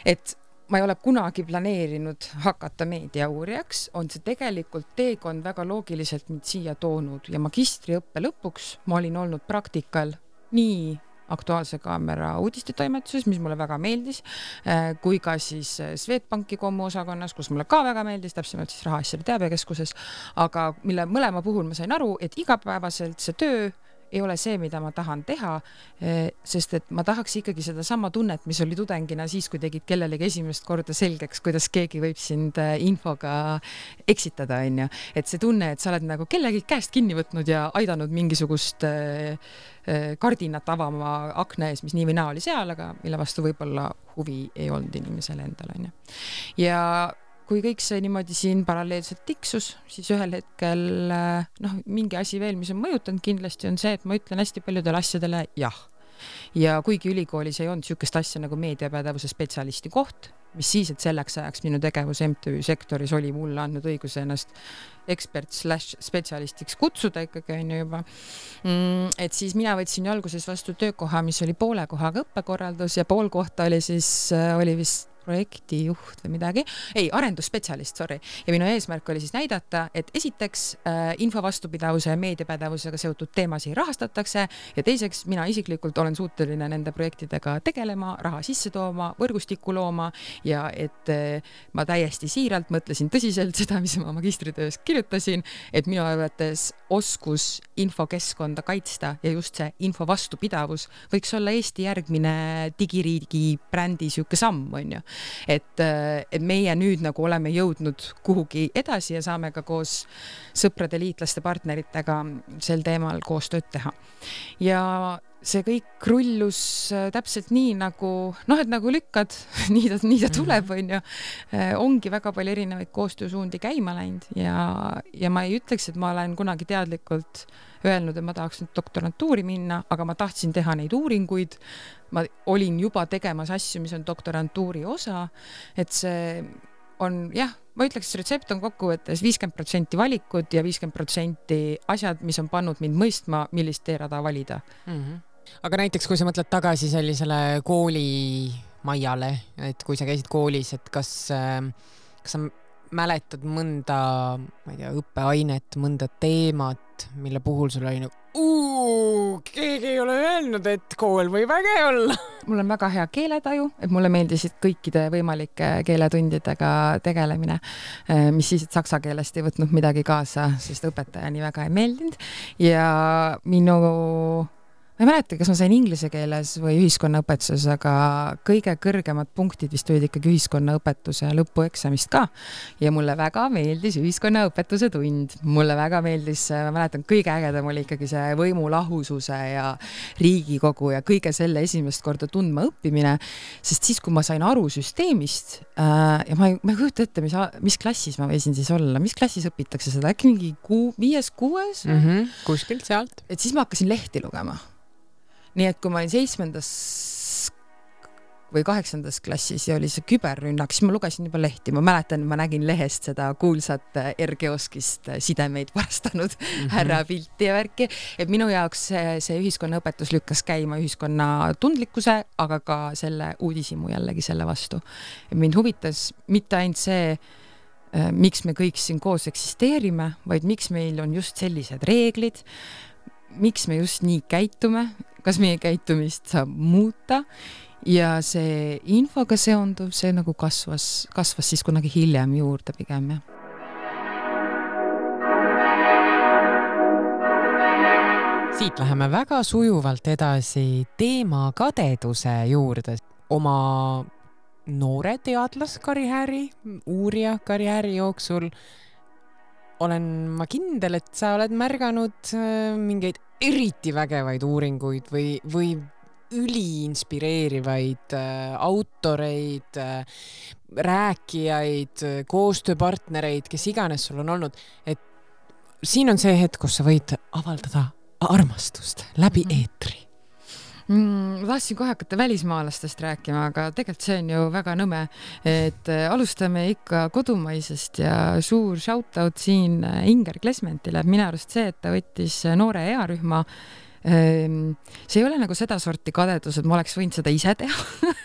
S2: et ma ei ole kunagi planeerinud hakata meediauurijaks, on see tegelikult teekond väga loogiliselt mind siia toonud ja magistriõppe lõpuks ma olin olnud praktikal nii Aktuaalse Kaamera uudistetoimetuses, mis mulle väga meeldis, kui ka siis Swedbanki kommuosakonnas, kus mulle ka väga meeldis, täpsemalt siis Rahaasjade Teabekeskuses, aga mille mõlema puhul ma sain aru, et igapäevaselt see töö ei ole see, mida ma tahan teha, sest et ma tahaks ikkagi seda sama tunnet, mis oli tudengina siis, kui tegid kellelegi esimest korda selgeks, kuidas keegi võib sind infoga eksitada, on ju. Et see tunne, et sa oled nagu kellegi käest kinni võtnud ja aidanud mingisugust kardinat avama akna ees, mis nii või naa oli seal, aga mille vastu võib-olla huvi ei olnud inimesele endal, on ju. Ja kui kõik see niimoodi siin paralleelselt tiksus, siis ühel hetkel mingi asi veel, mis on mõjutanud kindlasti on see, et ma ütlen hästi paljudele asjadele jah. Ja kuigi ülikoolis ei olnud sükest asja nagu meediapädevuse spetsialisti koht, mis siis, et selleks ajaks minu tegevus MTÜ sektoris oli mulle andnud õiguse ennast ekspert/spetsialistiks kutsuda ikkagi on juba. Et siis mina võtsin alguses vastu töökoha, mis oli poole kohaga õppekorraldus ja pool kohta oli vist projektijuht või midagi, arendusspetsialist, sorry. Ja minu eesmärk oli siis näidata, et esiteks info vastupidavuse ja meediapädevusega seotud teemasid rahastatakse ja teiseks mina isiklikult olen suuteline nende projektidega tegelema, raha sisse tooma, võrgustikku looma ja et ma täiesti siiralt mõtlesin tõsiselt seda, mis ma magistritöös kirjutasin, et minu arvates oskus infokeskkonda kaitsta ja just see info vastupidavus võiks olla Eesti järgmine digiriigi brändi siuke samm, on ju. Et meie nüüd nagu oleme jõudnud kuhugi edasi ja saame ka koos sõprade, liitlaste, partneritega sel teemal koostööd teha. Ja see kõik rullus täpselt nii nagu, et nagu lükkad, nii ta tuleb, on ju. Ongi väga palju erinevaid koostöösuundi käima läinud ja ma ei ütleks, et ma olen kunagi teadlikult öelnud, et ma tahaks nüüd doktorantuuri minna, aga ma tahtsin teha neid uuringuid. Ma olin juba tegemas asju, mis on doktorantuuri osa, et see on, ma ütleks, retsept on kokkuvõttes 50% valikud ja 50% asjad, mis on pannud mind mõistma, millist teerada valida.
S1: Aga näiteks, kui sa mõtled tagasi sellisele koolimajale, et kui sa käisid koolis, et kas sa mäletad mõnda, ma ei tea, õppeainet, mõnda teemat, mille puhul sul oli keegi ei ole öelnud, et kool võib äge olla.
S2: Mul on väga hea keeletaju, et mulle meeldisid kõikide võimalike keeletundidega tegelemine, mis siis, et saksa keelest ei võtnud midagi kaasa, sest õpetaja nii väga ei meeldinud. Ja ma ei mäleta, kas ma sain inglise keeles või ühiskonnaõpetuses, aga kõige kõrgemad punktid vist olid ikkagi ühiskonnaõpetuse lõpueksamist ka. Ja mulle väga meeldis ühiskonnaõpetuse tund. Mulle väga meeldis, ma mäletan, kõige ägedam oli ikkagi see võimulahususe ja Riigikogu ja kõige selle esimest korda tundma õppimine, sest siis, kui ma sain aru süsteemist ja ma ei kujuta ette, mis klassis ma võisin siis olla, mis klassis õpitakse seda, äkki mingi 5-6?
S1: Kuskilt sealt.
S2: Et siis ma hakkasin lehti lugema. Nii et kui ma olin 7. või 8. klassis ja oli see küberrünnak, siis ma lugesin juba lehti. Ma mäletan, ma nägin lehest seda kuulsat R-kioskist sidemeid varastanud härra pilti ja värki. Et minu jaoks see ühiskonnaõpetus lükkas käima ühiskonna tundlikkuse, aga ka selle uudisimu jällegi selle vastu. Et mind huvitas mitte ainult see, miks me kõik siin koos eksisteerime, vaid miks meil on just sellised reeglid, miks me just nii käitume, kas meie käitumist saab muuta ja see infoga seonduv, see nagu kasvas siis kunagi hiljem juurde pigem.
S1: Siit läheme väga sujuvalt edasi teema kadeduse juurde. Oma noore teadlaskarjääri, uurija karjääri jooksul olen ma kindel, et sa oled märganud mingeid eriti vägevaid uuringuid või üliinspireerivaid autoreid, rääkijaid, koostööpartnereid, kes iganes sul on olnud. Et siin on see hetk, kus sa võid avaldada armastust läbi eetri.
S2: Ma tahtsin kohe hakata välismaalastest rääkima, aga tegelikult see on ju väga nõme, et alustame ikka kodumaisest ja suur shoutout siin Inger Klesmentile. Minu arust see, et ta võttis noore earühma, see ei ole nagu seda sorti kadedus, et ma oleks võinud seda ise teha.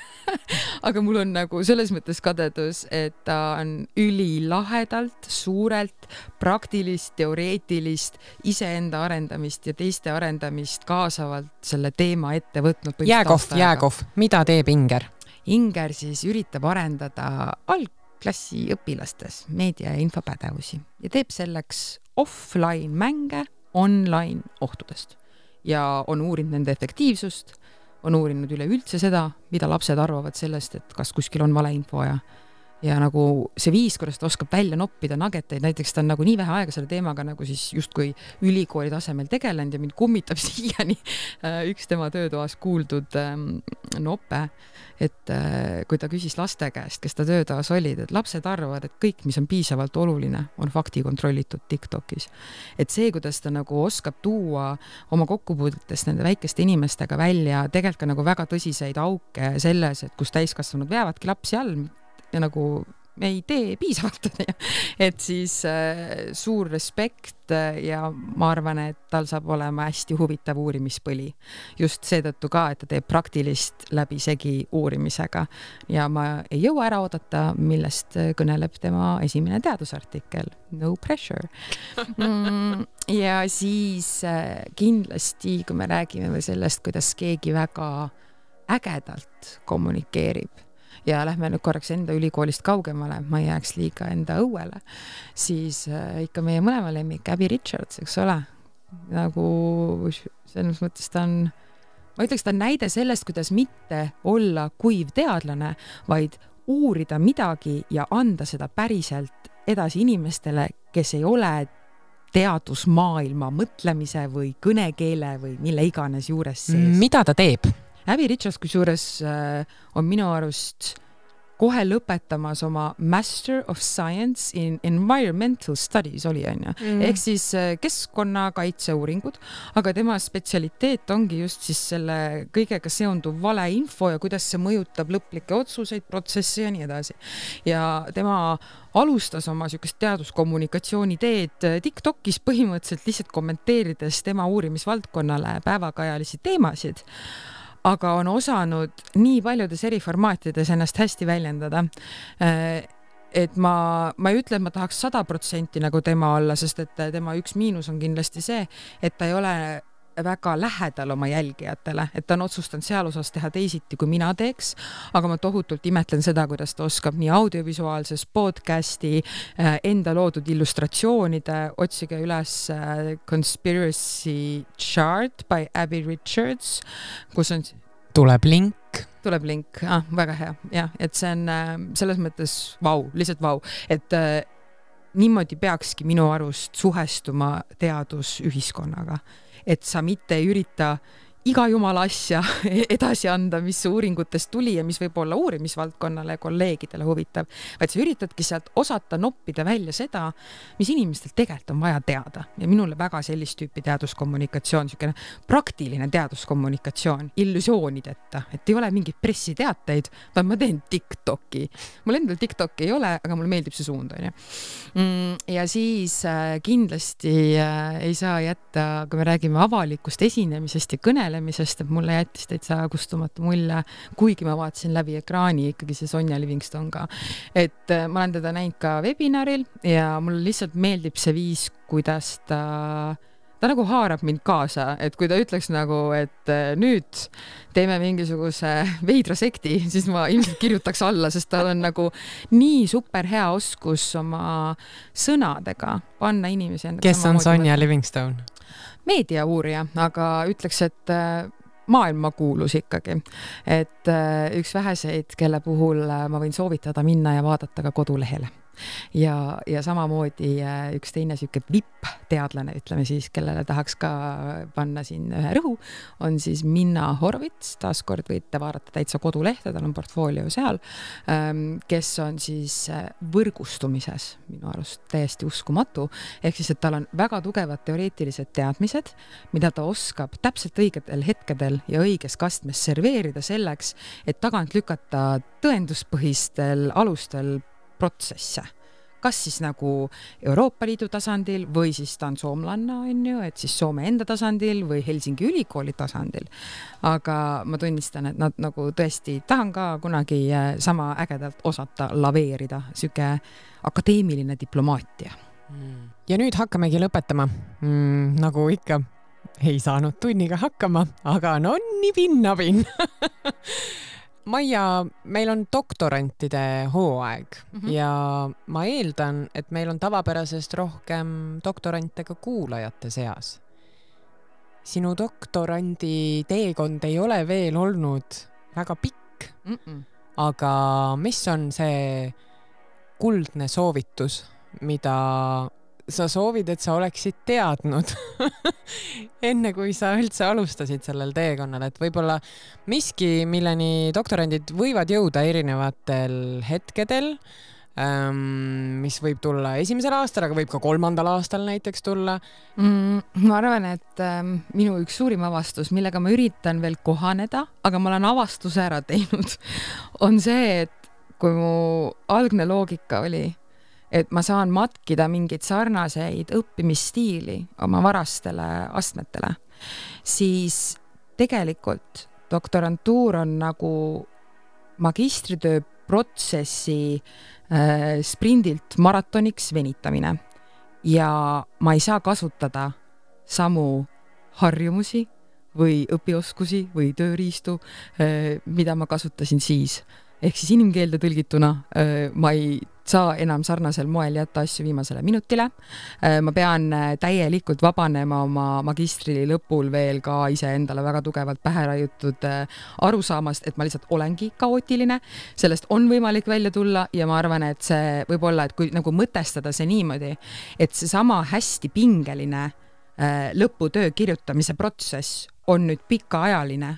S2: Aga mul on nagu selles mõttes kadedus, et ta on ülilahedalt, suurelt, praktilist, teoreetilist, iseenda arendamist ja teiste arendamist kaasavalt selle teema ette võtnud.
S1: Jääkohv. Mida teeb Inger?
S2: Inger siis üritab arendada algklassi õpilastes meedia- ja infopädevusi ja teeb selleks offline mänge online ohtudest ja on uurinud nende efektiivsust, on uurinud üleüldse seda, mida lapsed arvavad sellest, et kas kuskil on valeinfo ja nagu see viis, kuidas ta oskab välja noppida nageteid, näiteks ta on nagu nii vähe aega selle teemaga nagu siis justkui ülikooli tasemel tegelenud ja mind kummitab siiani üks tema töötoas kuuldud nope, et kui ta küsis laste käest, kes ta töötoas olid, et lapsed arvavad, et kõik, mis on piisavalt oluline, on fakti kontrollitud TikTokis. Et see, kuidas ta nagu oskab tuua oma kokkupuudetest nende väikeste inimestega välja, tegelikult ka nagu väga tõsiseid auke selles, et kus täiskasvanud veavadki lapsi all, ja nagu me ei tee piisavalt. Et siis suur respekt ja ma arvan, et tal saab olema hästi huvitav uurimispõli. Just seetõttu ka, et ta teeb praktilist läbi segi uurimisega. Ja ma ei jõua ära oodata, millest kõneleb tema esimene teadusartikkel. No pressure. Ja siis kindlasti, kui me räägime sellest, kuidas keegi väga ägedalt kommunikeerib, ja lähme nüüd korraks enda ülikoolist kaugemale, ma ei jääks liiga enda õuele, siis ikka meie mõlema lemmik Abby Richards, eks ole? Nagu selles mõttes ta on, ma ütleks, ta on näide sellest, kuidas mitte olla kuiv teadlane, vaid uurida midagi ja anda seda päriselt edasi inimestele, kes ei ole teadusmaailma mõtlemise või kõnekeele või mille iganes juures sees.
S1: Mida ta teeb?
S2: Abby Richards kusjuures on minu arust kohe lõpetamas oma Master of Science in Environmental Studies oli, ehk siis keskkonnakaitseuuringud, aga tema spetsialiteet ongi just siis selle kõigega seonduv valeinfo ja kuidas see mõjutab lõplikke otsuseid, protsesse ja nii edasi. Ja tema alustas oma sükest teaduskommunikatsiooni teed TikTokis põhimõtteliselt lihtsalt kommenteerides tema uurimisvaldkonnale päevakajalisi teemasid, aga on osanud nii paljudes eri formaatides ennast hästi väljendada. et ma ei ütle, et ma tahaks 100% nagu tema olla, sest et tema üks miinus on kindlasti see, et ta ei ole väga lähedal oma jälgijatele, et ta on otsustanud seal osas teha teisiti, kui mina teeks, aga ma tohutult imetlen seda, kuidas ta oskab nii audiovisuaalses podcasti, enda loodud illustratsioonide, otsige üles Conspiracy Chart by Abby Richards, kus on
S1: tuleb link,
S2: väga hea, jah, et see on selles mõttes lihtsalt vau, et niimoodi peakski minu arust suhestuma teadus ühiskonnaga, et sa mitte ei ürita iga jumala asja edasi anda, mis uuringutest tuli ja mis võib olla uurimisvaldkonnale ja kolleegidele huvitav, vaid sa üritadki sealt osata noppida välja seda, mis inimestel tegelikult on vaja teada. Ja minule väga sellist tüüpi teaduskommunikatsioon, selline praktiline teaduskommunikatsioon, illusioonideta, et ei ole mingid pressiteateid, vaid ma teen TikToki. Mul endal TikToki ei ole, aga mulle meeldib see suund. Ja siis kindlasti ei saa jätta, kui me räägime avalikust esinemisest ja kõnelemisest, et mulle jättis täitsa kustumatu mulje, kuigi ma vaatasin läbi ekraani ikkagi see Sonja Livingston ka. Et ma olen teda näinud ka webinaril ja mulle lihtsalt meeldib see viis, kuidas ta nagu haarab mind kaasa, et kui ta ütleks nagu, et nüüd teeme mingisuguse veidra sekti, siis ma ilmselt kirjutaks alla, sest tal on nagu nii super hea oskus oma sõnadega panna inimesi.
S1: Kes on Sonja Livingston?
S2: Meediauurija, aga ütleks, et maailma kuulus ikkagi. Et üks väheseid, kelle puhul ma võin soovitada minna ja vaadata ka kodulehele. Ja samamoodi üks teine siuke VIP-teadlane, ütleme siis, kellele tahaks ka panna siin ühe rõhu, on siis Minna Horvits, taaskord võite vaadata täitsa kodulehte, tal on portfoolio seal, kes on siis võrgustumises minu arust täiesti uskumatu, ehk siis, et tal on väga tugevad teoreetilised teadmised, mida ta oskab täpselt õigetel hetkedel ja õiges kastmes serveerida selleks, et tagant lükata tõenduspõhistel alustel protsesse. Kas siis nagu Euroopa Liidu tasandil või siis ta on soomlanna, on ju, et siis Soome enda tasandil või Helsingi ülikooli tasandil. Aga ma tunnistan, et nad nagu tõesti tahan ka kunagi sama ägedalt osata laveerida, süke akadeemiline diplomaatia.
S1: Ja nüüd hakkamegi lõpetama. Nagu ikka ei saanud tunniga hakkama, aga no nibin-nabin. Maia, meil on doktorantide hooaeg ja ma eeldan, et meil on tavapärasest rohkem doktorante ka kuulajate seas. Sinu doktorandi teekond ei ole veel olnud väga pikk, aga mis on see kuldne soovitus, mida sa soovid, et sa oleksid teadnud enne, kui sa üldse alustasid sellel teekonnal, et võib-olla miski, milleni doktorandid võivad jõuda erinevatel hetkedel, mis võib tulla esimesel aastal, aga võib ka 3. aastal näiteks tulla.
S2: Ma arvan, et minu üks suurim avastus, millega ma üritan veel kohaneda, aga ma olen avastuse ära teinud, on see, et kui mu algne loogika oli, et ma saan matkida mingeid sarnaseid õppimisstiili oma varastele astmetele, siis tegelikult doktorantuur on nagu magistritöö protsessi sprindilt maratoniks venitamine ja ma ei saa kasutada samu harjumusi või õpioskusi või tööriistu, mida ma kasutasin siis. Ehk siis inimkeelde tõlgituna ma ei saa enam sarnasel moel jätta asju viimasele minutile. Ma pean täielikult vabanema oma magistri lõpul veel ka ise endale väga tugevalt pähe raiutud arusaamast, et ma lihtsalt olengi kaootiline. Sellest on võimalik välja tulla ja ma arvan, et see võib olla, et kui nagu mõtestada see niimoodi, et see sama hästi pingeline lõputöö kirjutamise protsess on nüüd pikaajaline,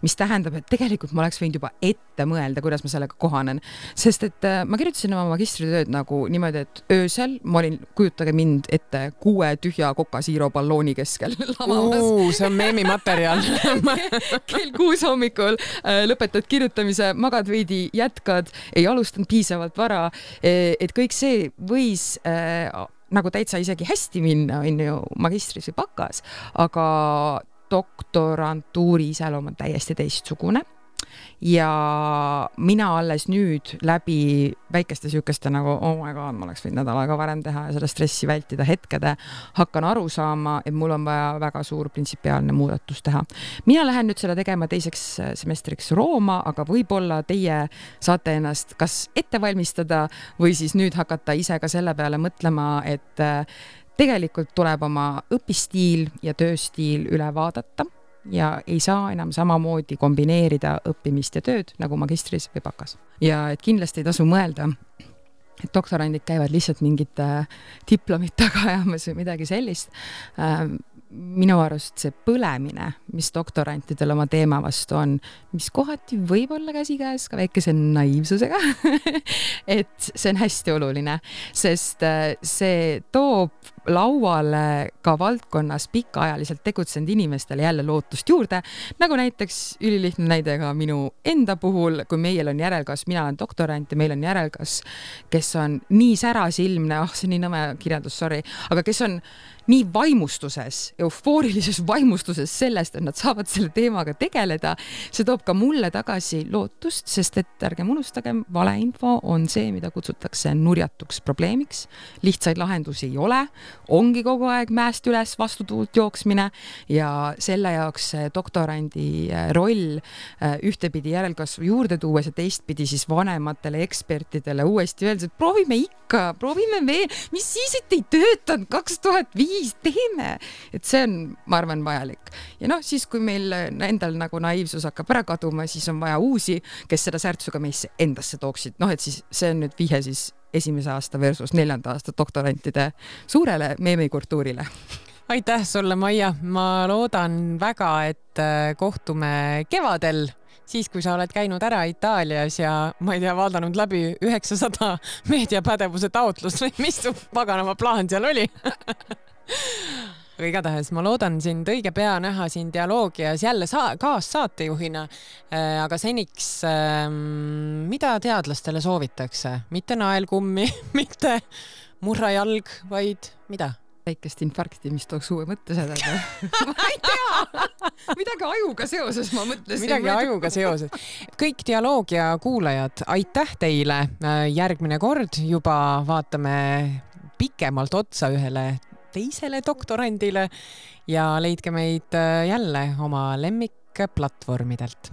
S2: mis tähendab, et tegelikult ma oleks võinud juba ette mõelda, kuidas ma sellega kohanen. Sest et ma kirjutasin oma magistritööd nagu niimoodi, et öösel ma olin, kujutage mind ette 6 tühja Coca-Zero ballooni keskel lamamas.
S1: See on meemimaterjal.
S2: Kell 6 hommikul lõpetad kirjutamise, magad veidi, jätkad, ei alustanud piisavalt vara, et kõik see võis nagu täitsa isegi hästi minna, on ju magistris või bakas, aga doktorantuuri iseloom on täiesti teistsugune. ja mina alles nüüd läbi väikeste sükeste nagu oh my god, ma oleks võinud nädal aega varem teha ja seda stressi vältida hetkede, hakkan aru saama, et mul on vaja väga suur printsipiaalne muudatus teha. Mina lähen nüüd seda tegema teiseks semestriks Rooma, aga võib-olla teie saate ennast kas ette valmistada või siis nüüd hakata ise ka selle peale mõtlema, et tegelikult tuleb oma õpistiil ja tööstiil üle vaadata ja ei saa enam samamoodi kombineerida õppimist ja tööd nagu magistris või bakas. Ja et kindlasti ei tasu mõelda, et doktorandid käivad lihtsalt mingite diplomit taga ajamas või midagi sellist. Minu arust see põlemine, mis doktorantidel oma teema vastu on, mis kohati võib olla käsikäes ka väikese naiivsusega, et see on hästi oluline, sest see toob lauale ka valdkonnas pikaajaliselt tegutsenud inimestele jälle lootust juurde, nagu näiteks ülilihtne näide ka minu enda puhul, kui meil on järelkas, mina olen doktorant ja meil on järelkas, kes on nii särasilmne, see on nii nõme kirjandus, sorry, aga kes on nii vaimustuses, eufoorilises vaimustuses sellest, et nad saavad selle teemaga tegeleda, see toob ka mulle tagasi lootust, sest et ärgem unustagem, valeinfo on see, mida kutsutakse nurjatuks probleemiks. Lihtsaid lahendusi ei ole, ongi kogu aeg mäest üles vastu tuult jooksmine ja selle jaoks doktorandi roll ühtepidi järelkasvu juurde tuues ja teistpidi siis vanematele ekspertidele uuesti öeldes, et proovime veel, mis siis, et ei töötanud 2005, teeme, et see on, ma arvan, vajalik. Ja siis, kui meil endal nagu naiivsus hakkab ära kaduma, siis on vaja uusi, kes seda särtsuga meisse endasse tooksid. Et siis see on nüüd vihe siis esimese aasta versus 4. aasta doktorantide suurele meemikultuurile.
S1: Aitäh sulle, Maia. Ma loodan väga, et kohtume kevadel, siis kui sa oled käinud ära Itaalias ja ma ei tea, vaadanud läbi 900 meediapädevuse taotlust või mis su paganama plaan seal oli. Aga igatahes ma loodan sind õige pea näha siin dialoogias jälle kaassaatejuhina, aga seniks mida teadlastele soovitakse? Mitte naelkummi, mitte murrajalg, vaid mida?
S2: Väikest infarkti, mis tooks uue mõtte seda. Ma ei tea, midagi ajuga seoses ma mõtlesin.
S1: Midagi ajuga seoses. Kõik dialoogia kuulajad, aitäh teile. Järgmine kord juba vaatame pikemalt otsa ühele teisele doktorandile ja leidke meid jälle oma lemmikplatvormidelt.